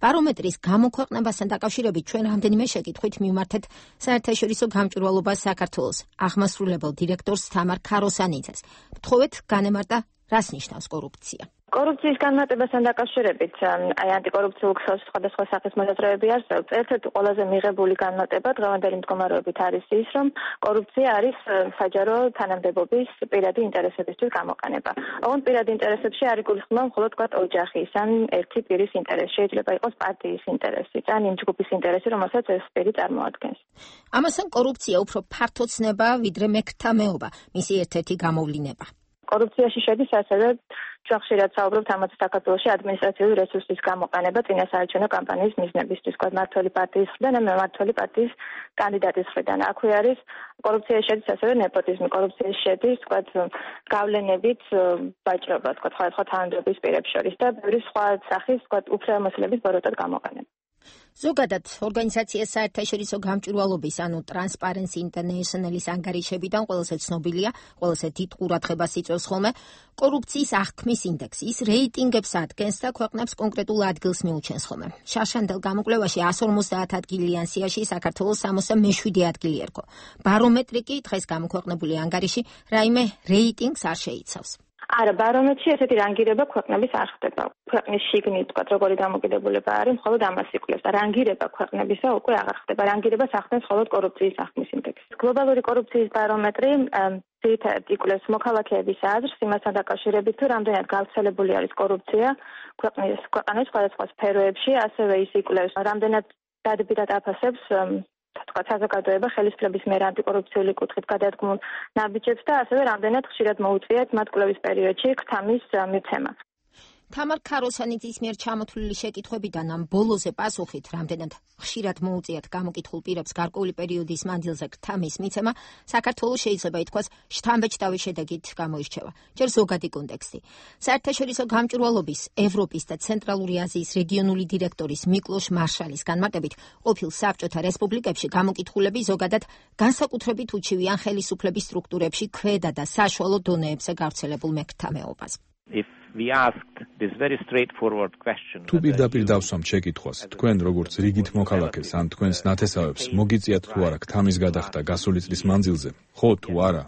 ბარომეტრის გამოქვეყნებასთან დაკავშირებით ჩვენ რამდენიმე შეკითხვით მივმართეთ საერთაშორისო გამჭვირვალობას საქართველოს აღმასრულებელ დირექტორს თამარ ქაროსანიძეს. ვთხოვეთ განემარტა, რას ნიშნავს კორუფცია. კორუფციის განმარტებასთან დაკავშირებით აი ანტიკორუფციულ ქსელში სხვადასხვა სახის მოსაზრებები არსებობს. ერთ-ერთი ყველაზე მიღებული განმარტება დღევანდელი მდგომარეობით არის ის, რომ კორუფცია არის საჯარო თანამდებობის პირადი ინტერესებისთვის გამოყენება. ოღონდ პირადი ინტერესებში არ იგულისხმება მხოლოდ ოჯახის ან ერთი პირის ინტერესი. შეიძლება იყოს პარტიის ინტერესი ან იმ ჯგუფის ინტერესი, რომელსაც ეს პირი წარმოადგენს. ამასთან კორუფცია უფრო ფართო ცნება, ვიდრე მექრთამეობა, მისი ერთ-ერთი გამოვლინება. კორუფციაში შედის ასევე ჩვენ ხშირად საუბრობთ ამაზე საქართველოში ადმინისტრაციული რესურსის გამოყენება წინასაარჩევნო კამპანიის მიზნებისთვის, თქვა მმართველი პარტიის მხრიდან და მემმართველი პარტიის კანდიდატის მხრიდან. აქვე არის კორუფციაში შედის ასევე ნეპოტიზმი, კორუფციაში შედის თქვა გავლენებით ვაჭრობა, თქვა სხვადასხვა თანამდებობის პირებს შორის და ბევრი სხვა სახის თქვა უფლებამოსილების ბოროტად გამოყენება. ზოგადად ორგანიზაციას საერთაშორისო გამჭვირვალობის ანუ Transparency International-ის ანგარიშებიდან ყველაზე ცნობილია, ყველაზე დიდ ყურადღებას იწვევს ხოლმე კორუფციის აღქმის ინდექსი. ის რეიტინგებს ადგენს და ქვეყნებს კონკრეტულ ადგილს მიუჩენს ხოლმე. შარშანდელ გამოკვლევაში 150 ადგილიან სიაში საქართველოს 67 ადგილი ერგო. ბარომეტრი კი დღეს გამოქვეყნებული ანგარიში რაიმე რეიტინგს არ შეიცავს. არა, ბარომეტრში ესეთი რანგირება ქვეყნების არ ხდება. ქვეყნის შიგნით, თქვა, როგორი დამოკიდებულება არის, მხოლოდ ამას იკვლევს და რანგირება ქვეყნებისა უკვე აღარ ხდება. რანგირებას ახდენს მხოლოდ კორუფციის აღქმის ინდექსი. გლობალური კორუფციის ბარომეტრი ძირითადად იკვლევს მოქალაქეების აზრს იმასთან დაკავშირებით, თუ რამდენად გავრცელებული არის კორუფცია ქვეყნის სხვადასხვა სფეროებში, ასევე ის იკვლევს რამდენად დადებითად აფასებს თქვა საზოგადოება ხელისუფლების მიერ ანტიკორუფციული კუთხით გადადგმულ ნაბიჯებს და ასევე რამდენად ხშირად მოუწიათ მათ კვლევის პერიოდში ქრთამის მიცემა. თამარ ქაროსანიძის მიერ ჩამოთვლილი შეკითხვებიდან ამ ბოლოზე პასუხით, რამდენად ხშირად მოუწიათ გამოკითხულ პირებს გარკვეული პერიოდის მანძილზე ქრთამის მიცემა, საქართველოს შეიძლება ითქვას შთამბეჭდავი შედეგით გამოირჩევა. ჯერ ზოგადი კონტექსტი. საერთაშორისო გამჭვირვალობის ევროპის და ცენტრალური აზიის რეგიონული დირექტორის მიკლოშ მარშალის განმარტებით, ყოფილ საბჭოთა რესპუბლიკებში გამოკითხულები ზოგადად განსაკუთრებით უჩივიან ხელისუფლების სტრუქტურებში ქვედა და საშუალო დონეებზე გავრცელებულ მექრთამეობას. თუ პირდაპირ დავსვამთ შეკითხვას, თქვენ როგორც რიგით მოქალაქეს ან თქვენს ნათესავებს მოგიწიათ თუ არა ქთამის გადახდა გასული წლის მანძილზე, ხო თუ არა?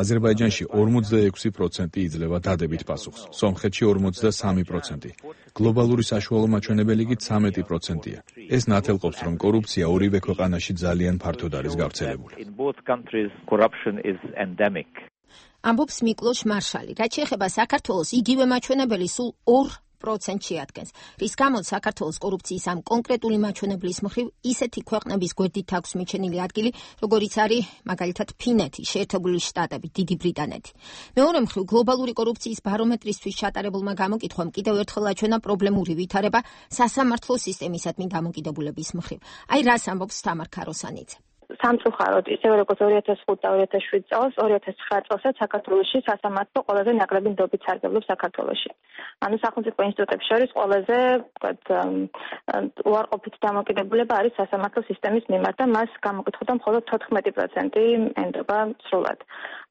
აზერბაიჯანში 46% იძლევა დადებით პასუხს, სომხეთში 43%, გლობალური საშუალო მაჩვენებელი კი 13%-ია. ეს ნათელყოფს, რომ კორუფცია ორივე ქვეყანაში ძალიან ფართოდ არის გავრცელებული. ამბობს მიკლოშ მარშალი. რაც შეეხება საქართველოს, იგივე მაჩვენებელი სულ 2% შეადგენს. რის გამოც საქართველოს კორუფციის ამ კონკრეტული მაჩვენებლის მხრივ ისეთი ქვეყნების გვერდით აქვს მიჩენილი ადგილი, როგორიც არის მაგალითად ფინეთი, შეერთებული შტატები, დიდი ბრიტანეთი. მეორე მხრივ გლობალური კორუფციის ბარომეტრისთვის ჩატარებულმა გამოკითხვამ კიდევ ერთხელ აჩვენა პრობლემური ვითარება სასამართლო სისტემისადმი დამოკიდებულების მხრივ. აი რას ამბობს თამარ ქაროსანიძე. სამწუხაროდ, ისევე როგორც 2005 და 2007 წელს, 2009 წელსაც საქართველოში სასამართლო ყველაზე ნაკლები ნდობით სარგებლობს საქართველოში. ანუ სახელმწიფო ინსტიტუტებს შორის ყველაზე უარყოფით დამოკიდებულება არის სასამართლო სისტემის მიმართ და მას გამოკითხულთა მხოლოდ 14% ენდობა სრულად.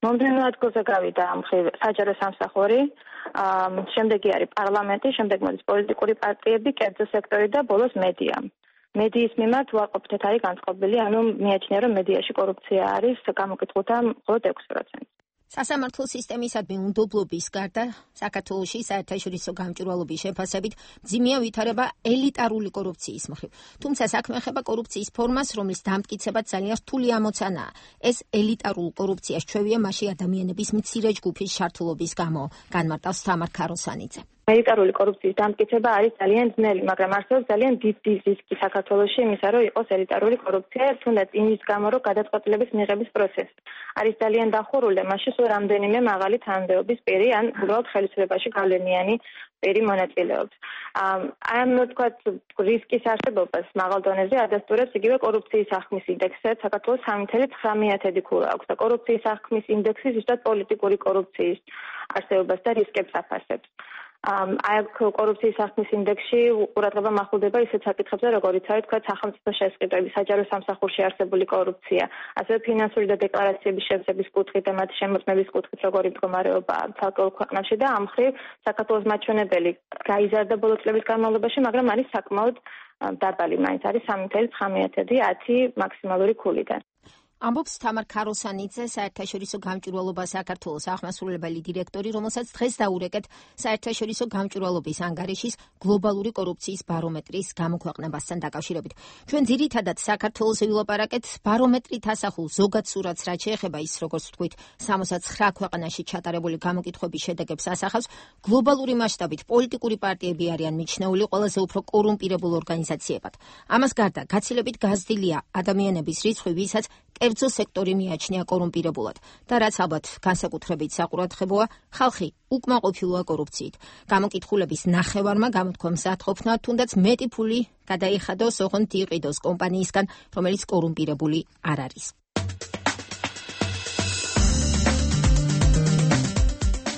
მომდევნო ადგილზე გავიდა მხრივ საჯარო სამსახური, შემდეგი არის პარლამენტი, შემდეგ მოდის პოლიტიკური პარტიები, კერძო სექტორი და ბოლოს მედია. მედიის მიმართ უარყოფითად არის განწყობილი, ანუ მიაჩნია, რომ მედიაში კორუფცია არის გამოკითხულთა მხოლოდ 6%. სასამართლო სისტემისადმი უნდობლობის გარდა საქართველოში საერთაშორისო გამჭვირვალობის შეფასებით მძიმეა ვითარება ელიტარული კორუფციის მხრივ. თუმცა საქმე ეხება კორუფციის ფორმას, რომლის დამტკიცებაც ძალიან რთული ამოცანაა. ეს ელიტარულ კორუფციას ჩვევია მასში ადამიანების მცირე ჯგუფის ჩართულობის გამო, განმარტავს თამარ ქაროსანიძე. ელიტარული კორუფციის დამტკიცება არის ძალიან ძნელი, მაგრამ არსებობს ძალიან დიდი რისკი საქართველოში იმისა, რომ იყოს ელიტარული კორუფცია, თუნდაც იმის გამო, რომ გადაწყვეტილების მიღების პროცესი არის ძალიან დახურული, მასში სულ რამდენიმე მაღალი თანამდებობის პირი ან უბრალოდ ხელისუფლებაში გავლენიანი პირი მონაწილეობს. ამ თქვათ რისკის არსებობას მაღალ დონეზე ადასტურებს იგივე კორუფციის აღქმის ინდექსი, საქართველოს 3.9 ქულა აქვს და კორუფციის აღქმის ინდექსი ზუსტად პოლიტიკური კორუფციის არსებობას და რისკებს აფასებს. აი კორუფციის აღქმის ინდექსში ყურადღება მახვილდება ისეთ საკითხებზე, როგორიც არის თქვა სახელმწიფო შესყიდვები, საჯარო სამსახურში არსებული კორუფცია, ასევე ფინანსური და დეკლარაციების შევსების კუთხით და მათი შემოწმების კუთხით როგორი მდგომარეობა ცალკეულ ქვეყნებში და ამ მხრივ საქართველოს მაჩვენებელი გაიზარდა ბოლო წლების განმავლობაში, მაგრამ არის საკმაოდ დაბალი, მაინც არის 3.9 მაქსიმალური ქულიდან. ამბობს თამარ ქაროსანიძე, საერთაშორისო გამჭვირვალობა საქართველოს აღმასრულებელი დირექტორი, რომელსაც დღეს დაურეკეთ საერთაშორისო გამჭვირვალობის ანგარიშის გლობალური კორუფციის ბარომეტრის გამოქვეყნებასთან დაკავშირებით. ჩვენ ძირითადად საქართველოს ვილაპარაკეთ ბარომეტრით ასახულ ზოგად სურათს, რაც შეეხება ის, როგორც ვთქვით, 69 ქვეყანაში ჩატარებული გამოკითხვების შედეგებს ასახავს. გლობალური მასშტაბით პოლიტიკური პარტიები არიან მიჩნეული ყველაზე უფრო კორუმპირებულ ორგანიზაციებად. ამას გარდა გაცილებით გაზრდილია ადამიანების რიცხვი, ვისაც კერძო სექტორი მიაჩნია კორუმპირებულად და რაც ალბათ განსაკუთრებით საყურადღებოა, ხალხი უკმაყოფილოა კორუფციით. გამოკითხულების ნახევარმა გამოთქვა მზადყოფნა, თუნდაც მეტი ფული გადაიხადოს, ოღონდ იყიდოს კომპანიისგან, რომელიც კორუმპირებული არ არის.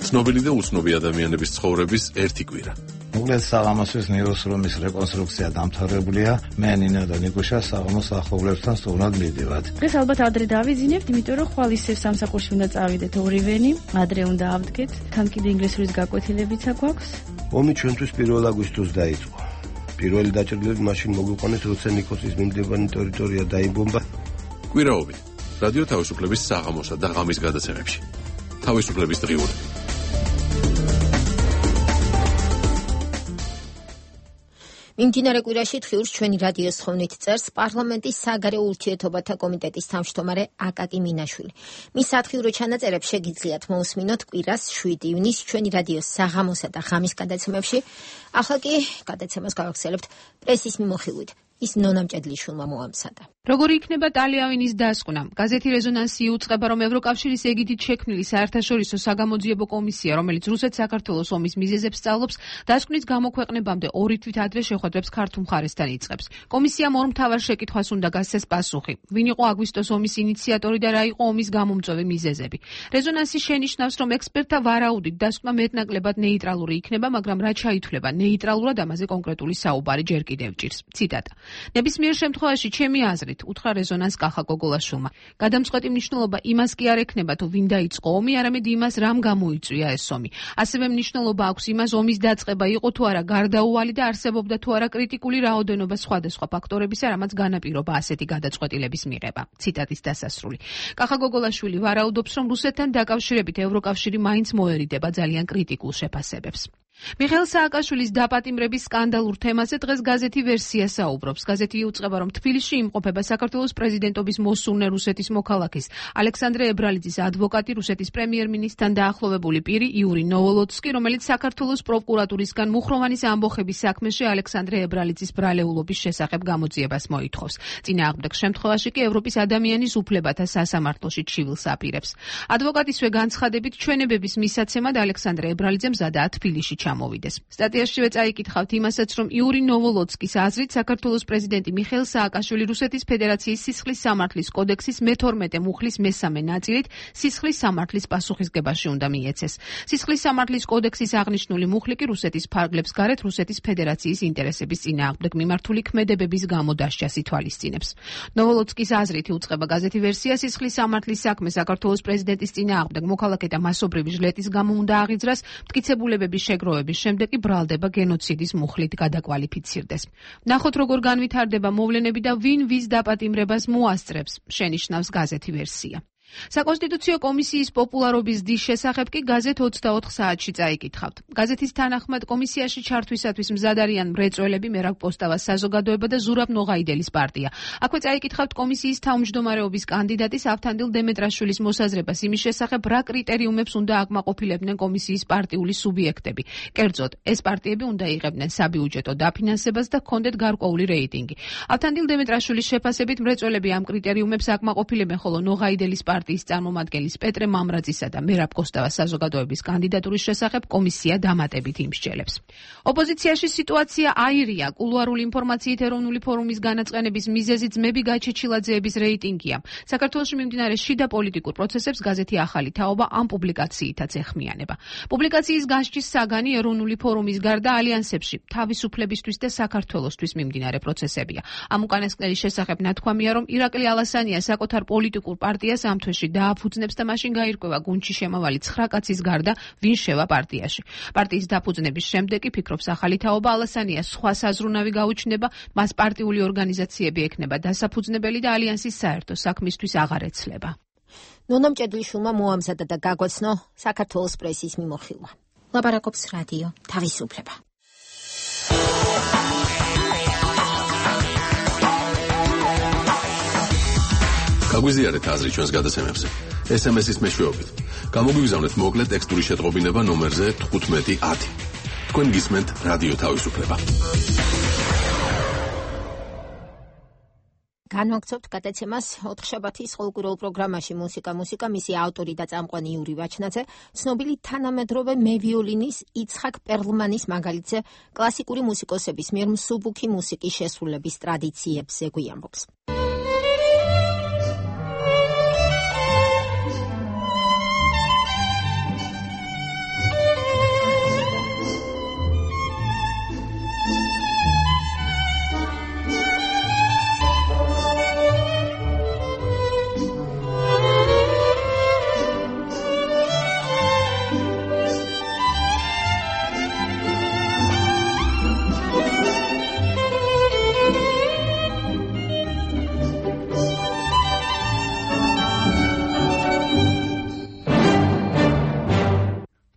ცნობილი და უცნობი ადამიანების ცხოვრების ერთი კვირა. უგლეს საღამოსის ნეიროსრომის რეკონსტრუქცია დამთავრებულია. მე ნინო და ნიკუშა საღამოს ახლობლებთან სტუმრად მივდივართ. დღეს ალბათ ადრე დავიძინებთ, იმიტომ რომ ხვალ ისევ სამსახურში უნდა წავიდეთ ორივენი, ადრე უნდა ავდგეთ. თან კიდე ინგლისურის გაკვეთილებიც აქვს. ომი ჩვენთვის 1 აგვისტოს დაიწყო. პირველი დაჭრილები მაშინ მოგვიყვანეს, როცა ნიკოსის მიმდებარე ტერიტორია დაიბომბა. კვირაობით რადიო თავისუფლების საღამოსა და ღამის გადაცემებში. თავისუფლების დღიური. მიმდინარე კვირაში თხიურს ჩვენი რადიოს თხოვნით წერს პარლამენტის საგარეო ურთიერთობათა კომიტეტის თავმჯდომარე აკაკი მინაშვილი. მის სათხიურო ჩანაწერებს შეგიძლიათ მოусმინოთ კვირას 7 ივნისს ჩვენი რადიოს საღამოსა და ღამის გადაცემებში. ახლა კი გადაცემას გავახსენებთ პრესის მიმოხილვით. ის ნონამჭედლიშვილმა მოამზადა. როგორი იქნება ტალიავინის დასკვნა? გაზეთი რეზონანსი იუწყება, რომ ევროკავშირის ეგიდით შექმნილი საერთაშორისო საგამოძიებო კომისია, რომელიც რუსეთ-საქართველოს ომის მიზეზებს სწავლობს, დასკვნის გამოქვეყნებამდე 2 თვით ადრე შეხვედრებს ქართულ მხარესთან იწყებს. კომისიამ ორ მთავარ შეკითხვას უნდა გასცეს პასუხი. ვინ იყო აგვისტოს ომის ინიციატორი და რა იყო ომის გამომწვევი მიზეზები? რეზონანსი შენიშნავს, რომ ექსპერტთა ვარაუდით დასკვნა მეტნაკლებად ნეიტრალური იქნება, მაგრამ რა ჩაითვლება ნეიტრალურად, ამაზე კონკრეტული საუბარი ჯერ კიდევ ჭირს. ციტატა. ნებისმიერ შემთხვევაში ჩემი აზრით, უთხრა რეზონანს კახა გოგოლაშვილმა. გადამწყვეტი მნიშვნელობა იმას კი არ ექნება, თუ ვინ დაიწყო ომი, არამედ იმას, რამ გამოიწვია ეს ომი. ასევე მნიშვნელობა აქვს იმას, ომის დაწყება იყო თუ არა გარდაუვალი და არსებობდა თუ არა კრიტიკული რაოდენობა სხვადასხვა ფაქტორებისა, რამაც განაპირობა ასეთი გადაწყვეტილების მიღება. ციტატის დასასრული. კახა გოგოლაშვილი ვარაუდობს, რომ რუსეთთან დაკავშირებით ევროკავშირი მაინც მოერიდება ძალიან კრიტიკულ შეფასებებს. მიხეილ სააკაშვილის დაპატიმრების სკანდალურ თემაზე დღეს გაზეთი ვერსია საუბრობს. გაზეთი იუწყება, რომ თბილისში იმყოფება საქართველოს პრეზიდენტობის მოსურნე რუსეთის მოქალაქის ალექსანდრე ებრალიძის ადვოკატი, რუსეთის პრემიერ-მინისტრთან დაახლოვებული პირი იური ნოვოლოცკი, რომელიც საქართველოს პროკურატურისგან მუხროვანის ამბოხების საქმეში ალექსანდრე ებრალიძის ბრალეულობის შესახებ გამოძიებას მოითხოვს. წინააღმდეგ შემთხვევაში კი ევროპის ადამიანის უფლებათა სასამართლოში ჩივილს აპირებს. ადვოკატისვე განცხადებით ჩვენებების მისაცემად ალექსანდრე ებრალიძე მზადაა თბილისში ჩამოვიდეს. სტატიაშივე წაიკითხავთ იმასაც, რომ იური ნოვოლოცკის აზრით საქართველოს პრეზიდენტი მიხეილ სააკაშვილი რუსეთის ფედერაციის სისხლის სამართლის კოდექსის მე-12 მუხლის მესამე ნაწილით სისხლის სამართლის პასუხისგებაში უნდა მიეცეს. სისხლის სამართლის კოდექსის აღნიშნული მუხლი კი რუსეთის ფარგლებს გარეთ რუსეთის ფედერაციის ინტერესების წინააღმდეგ მიმართული ქმედებების გამო დასჯას ითვალისწინებს. ნოვოლოცკის აზრით იუწყება გაზეთი ვერსია, სისხლის სამართლის საქმე საქართველოს პრეზიდენტის წინააღმდეგ მოქალაქეთა მასობრივი ჟლეტის გამო უნდა აღიძრას, მტკიცებულებების შეგროვების შემდეგ კი ბრალდება გენოციდის მუხლით გადაკვალიფიცირდეს. ნახოთ, როგორ განვითარდება მოვლენები და ვინ ვის დაპატიმრებას მოასწრებს, შენიშნავს გაზეთი ვერსია. საკონსტიტუციო კომისიის პოპულარობის დის შესახებ კი გაზეთ 24 საათში წაიკითხავთ. გაზეთის თანახმად კომისიაში ჩართვისათვის მზად არიან მრეწველები, მერაბ პოსტავას საზოგადოება და ზურაბ ნოღაიდელის პარტია. აქვე წაიკითხავთ კომისიის თავმჯდომარეობის კანდიდატის ავთანდილ დემეტრაშვილის მოსაზრებას იმის შესახებ, რა კრიტერიუმებს უნდა აკმაყოფილებდნენ კომისიის პარტიული სუბიექტები. კერძოდ, ეს პარტიები უნდა იღებდნენ საბიუჯეტო დაფინანსებას და ჰქონდეთ გარკვეული რეიტინგი. ავთანდილ დემეტრაშვილის შეფასებით მრეწველები ამ კრიტერიუმებს აკმაყოფილებენ, ხოლო ნოღაიდელის პარტიის წარმომადგენლის პეტრე მამრაძისა და მერაბ კოსტავას საზოგადოების კანდიდატურის შესახებ კომისია დამატებით იმსჯელებს. ოპოზიციაში სიტუაცია აირია. კულუარული ინფორმაციით ეროვნული ფორუმის განაწყენების მიზეზი ძმები გაჩეჩილაძეების რეიტინგია. საქართველოში მიმდინარე შიდა პოლიტიკურ პროცესებს გაზეთი ახალი თაობა ამ პუბლიკაციითაც ეხმიანება. პუბლიკაციის გასჭის საგანი ეროვნული ფორუმის გარდა ალიანსებში თავისუფლებისთვის და საქართველოსთვის მიმდინარე პროცესებია. ამ უკანასკნელის შესახებ ნათქვამია, რომ ირაკლი ალასანია საკუთარ პოლიტიკურ პარტიას ამ თვეში დააფუძნებს და მაშინ გაირკვევა გუნდში შემავალი 9 კაცის გარდა ვინ შევა პარტიაში. პარტიის დაფუძნების შემდეგ კი ფიქრობს ახალი თაობა, ალასანიას სხვა საზრუნავი გაუჩნდება, მას პარტიული ორგანიზაციები ექნება დასაფუძნებელი და ალიანსის საერთო საქმისთვის აღარ ეცლება. ნონა მჭედლიშვილმა მოამზადა და გაგვაცნო საქართველოს პრესის მიმოხილვა. ლაპარაკობს რადიო თავისუფლება. გაგვიზიარეთ აზრი ჩვენს გადაცემებზე. SMS-ის მეშვეობით. გამოგვიგზავნეთ მოკლე ტექსტური შეტყობინება ნომერზე 1510. თქვენ გისმენთ რადიო თავისუფლება. განვაგრძობთ გადაცემას 4 შაბათის ყოველკვირეულ პროგრამაში მუსიკა, მისი ავტორი და წამყვანი იური ვაჩნაძე, ცნობილი თანამედროვე მევიოლინის იცხაკ პერლმანის მაგალითზე კლასიკური მუსიკოსების მიერ მსუბუქი მუსიკის შესრულების ტრადიციებზე გვიამბობს.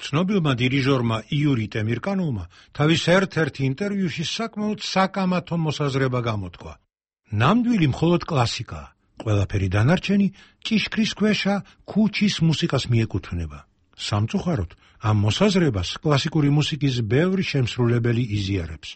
ცნობილმა დირიჟორმა იური ტემირკანოვმა თავის ერთ-ერთ ინტერვიუში საკმაოდ საკამათო მოსაზრება გამოთქვა. ნამდვილი მხოლოდ კლასიკაა. ყველაფერი დანარჩენი ჭიშკრის ქვეშა ქუჩის მუსიკას მიეკუთვნება. სამწუხაროდ, ამ მოსაზრებას კლასიკური მუსიკის ბევრი შემსრულებელი იზიარებს.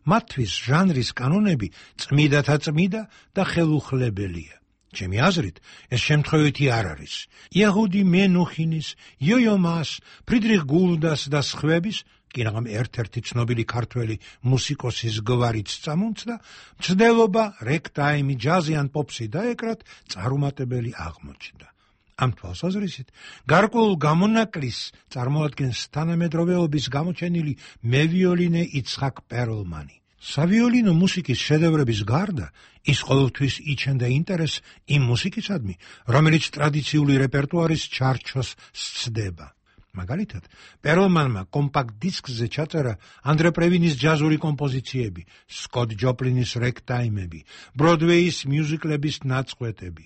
მათთვის ჟანრის კანონები წმიდათა წმიდა და ხელუხლებელია. ჩემი აზრით, ეს შემთხვევითი არ არის. იაჰუდი მენუხინის, იოიო მას, ფრიდრიხ გულდას და სხვების, კინაღამ ერთ-ერთი ცნობილი ქართველი მუსიკოსის გვარიც წამომცდა, მცდელობა რეკტაიმი, ჯაზი ან პოპსი დაეკრათ წარუმატებელი აღმოჩნდა. ამ თვალსაზრისით, გარკვეულ გამონაკლისს წარმოადგენს თანამედროვეობის გამოჩენილი მევიოლინე იცხაკ პერლმანი. სავიოლინო მუსიკის შედევრების გარდა ის ყოველთვის იჩენდა ინტერესს იმ მუსიკისადმი, რომელიც ტრადიციული რეპერტუარის ჩარჩოს სცდება. მაგალითად, პერლმანმა კომპაქტ დისკზე ჩაწერა ანდრე პრევინის ჯაზური კომპოზიციები, სკოტ ჯოპლინის რეკტაიმები, ბროდვეის მიუზიკლების ნაწყვეტები.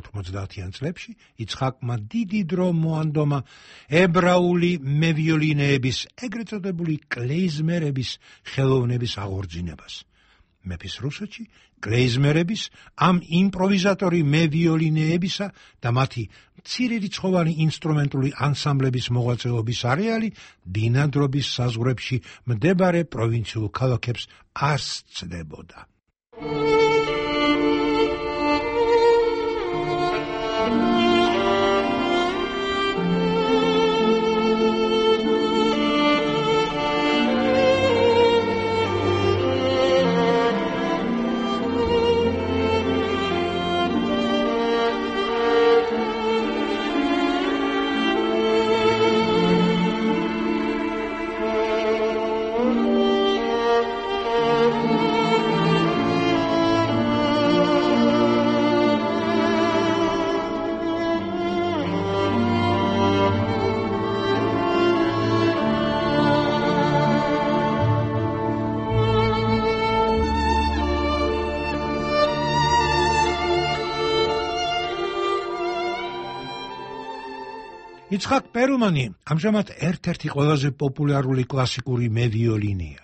90-იან წლებში იცხაკმა დიდი დრო მოანდომა ებრაული მევიოლინეების, ეგრეთ წოდებული კლეიზმერების ხელოვნების აღორძინებას. მეფის რუსეთში კლეიზმერების, ამ იმპროვიზატორი მევიოლინეებისა და მათი მცირერიცხოვანი ინსტრუმენტული ანსამბლების მოღვაწეობის არეალი ბინადრობის საზღვრებში მდებარე პროვინციულ ქალაქებს არ სცდებოდა. იცხაკ პერლმანი ამჟამად ერთ-ერთი ყველაზე პოპულარული კლასიკური მევიოლინია.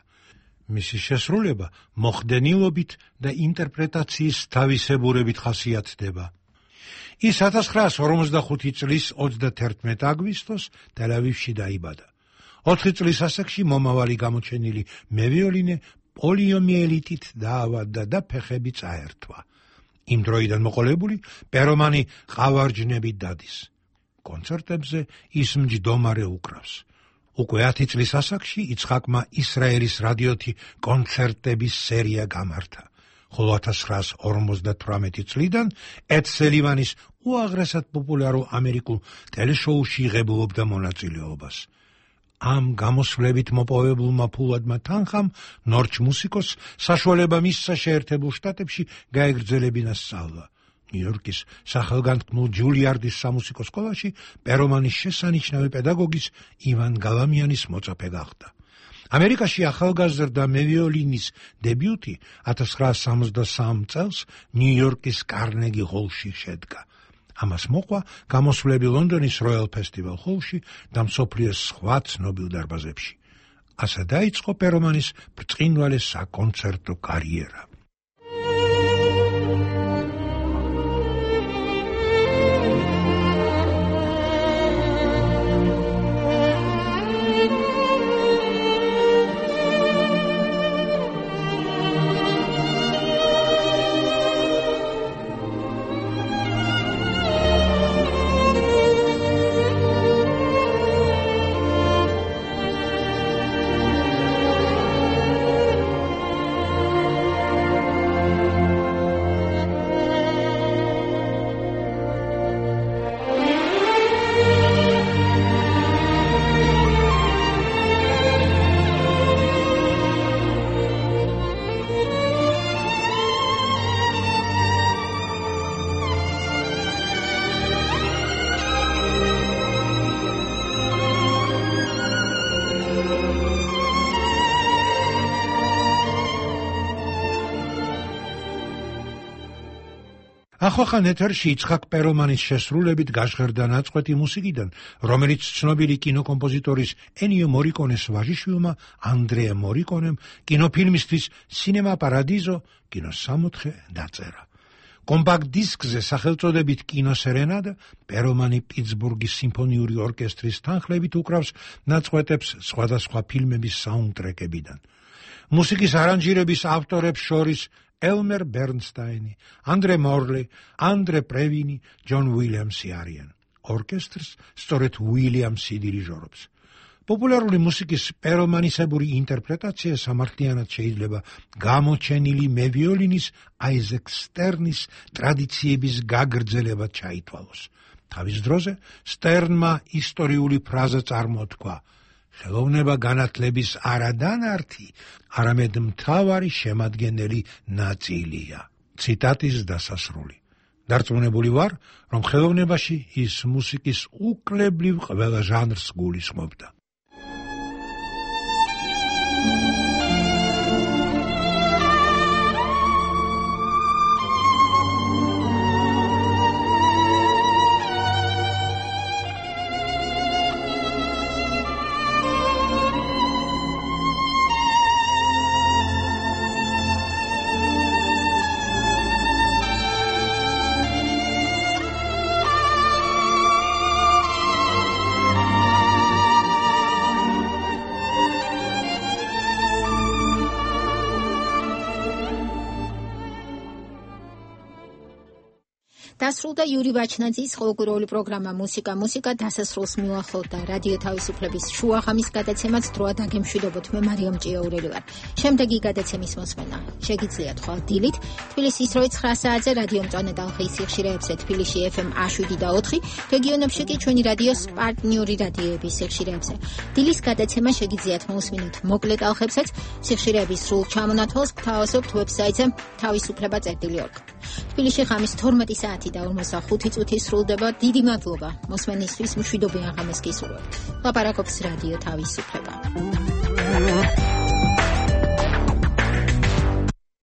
მისი შესრულება მოხდენილობით და ინტერპრეტაციის თავისებურებით ხასიათდება. ის 1945 წლის 31 აგვისტოს ტელ-ავივში დაიბადა. 4 წლის ასაკში მომავალი გამოჩენილი მევიოლინე პოლიომიელიტით დაავადდა და ფეხები წაერთვა. იმ დროიდან მოყოლებული პერლმანი ყავარჯნებით დადის. კონცერტებზე ის მჯდომარე უკრავს. უკვე 10 წლის ასაკში იცხაკმა ისრაელის რადიოთი კონცერტების სერია გამართა, ხოლო 1958 წლიდან ედ სელივანის უაღრესად პოპულარულ ამერიკულ ტელეშოუში იღებულობდა მონაწილეობას. ამ გამოსვლებით მოპოვებულმა ფულადმა თანხამ ნორჩ მუსიკოსს საშუალება მისცა შეერთებულ შტატებში გაეგრძელებინა სწავლა. ნიუ-იორკის სახელგანთქმულ ჯულიარდის სამუსიკო სკოლაში პერლმანის შესანიშნავი პედაგოგის ივან გალამიანის მოწაფე გახდა. ამერიკაში ახალგაზრდა მევიოლინის დებიუტი 1963 წელს ნიუ-იორკის კარნეგი ჰოლში შედგა. ამას მოყვა გამოსვლები ლონდონის როიალ ფესტივალ ჰოლში და მსოფლიოს სხვა ცნობილ დარბაზებში. ასე დაიწყო პერლმანის ბრწყინვალე საკონცერტო კარიერა. ახალ ეთერში იცხაკ პერლმანის შესრულებით გაჟღერდა ნაწყვეტი მუსიკიდან, რომელიც ცნობილი კინოკომპოზიტორის ენიო მორიკონეს ვაჟიშვილმა ანდრეა მორიკონემ კინოფილმისთვის სინემა პარადიზო კინოსამოთხე დაწერა. კომპაქტ დისკზე სახელწოდებით კინოსერენადა პერლმანი პიტსბურგის სიმფონიური ორკესტრის თანხლებით უკრავს ნაწყვეტებს სხვადასხვა ფილმების საუნდტრეკებიდან. მუსიკის არანჟირების ავტორებს შორის ელმერ ბერნსტაინი, ანდრე მორლი, ანდრე პრევინი, ჯონ უილიამსი არიან. ორკესტრს სწორედ უილიამსი დირიჟორობს. პოპულარული მუსიკის პერლმანისებური ინტერპრეტაცია სამართლიანად შეიძლება გამოჩენილი მევიოლინის აიზეკ სტერნის ტრადიციების გაგრძელება ჩაითვალოს. თავის დროზე სტერნმა ისტორიული ფრაზა წარმოთქვა: ხელოვნება განათლების არადანართი, არამედ მთავარი შემადგენელი ნაწილია. ციტატის დასასრული. დარწმუნებული ვარ, რომ ხელოვნებაში ის მუსიკის უკლებლივ ყველა ჟანრს გულისხმობდა. დასრულდა იური ვაჩნაძის ყოველკვირეული პროგრამა მუსიკა დასასრულს მივახლოვდა რადიო თავისუფლების შუაღამის გადაცემაც დროა დაგემშვიდობოთ მე მარიამ ჭიაურელი ვარ. შემდეგი გადაცემის მოსმენა შეგიძლიათ ხვალ დილით თბილისის 9 საათზე რადიო მწვანე ტალღის სიხშირეებზე თბილისში FM 7 და 4 რეგიონებში კი ჩვენი რადიოს პარტნიორი რადიოების სიხშირეებზე. დილის გადაცემა შეგიძლიათ მოусმინოთ მოკლე ტალღებსაც სიხშირეების სრულ ჩამონათვალს გთავაზობთ ვებსაიტზე თავისუფლება.org. თბილისში ღამის 12 საათი და 45 წუთი სრულდება. დიდი მადლობა მოსმენისთვის, მშვიდობიან ღამეს გისურვებთ. ლაპარაკობს რადიო თავისუფლება.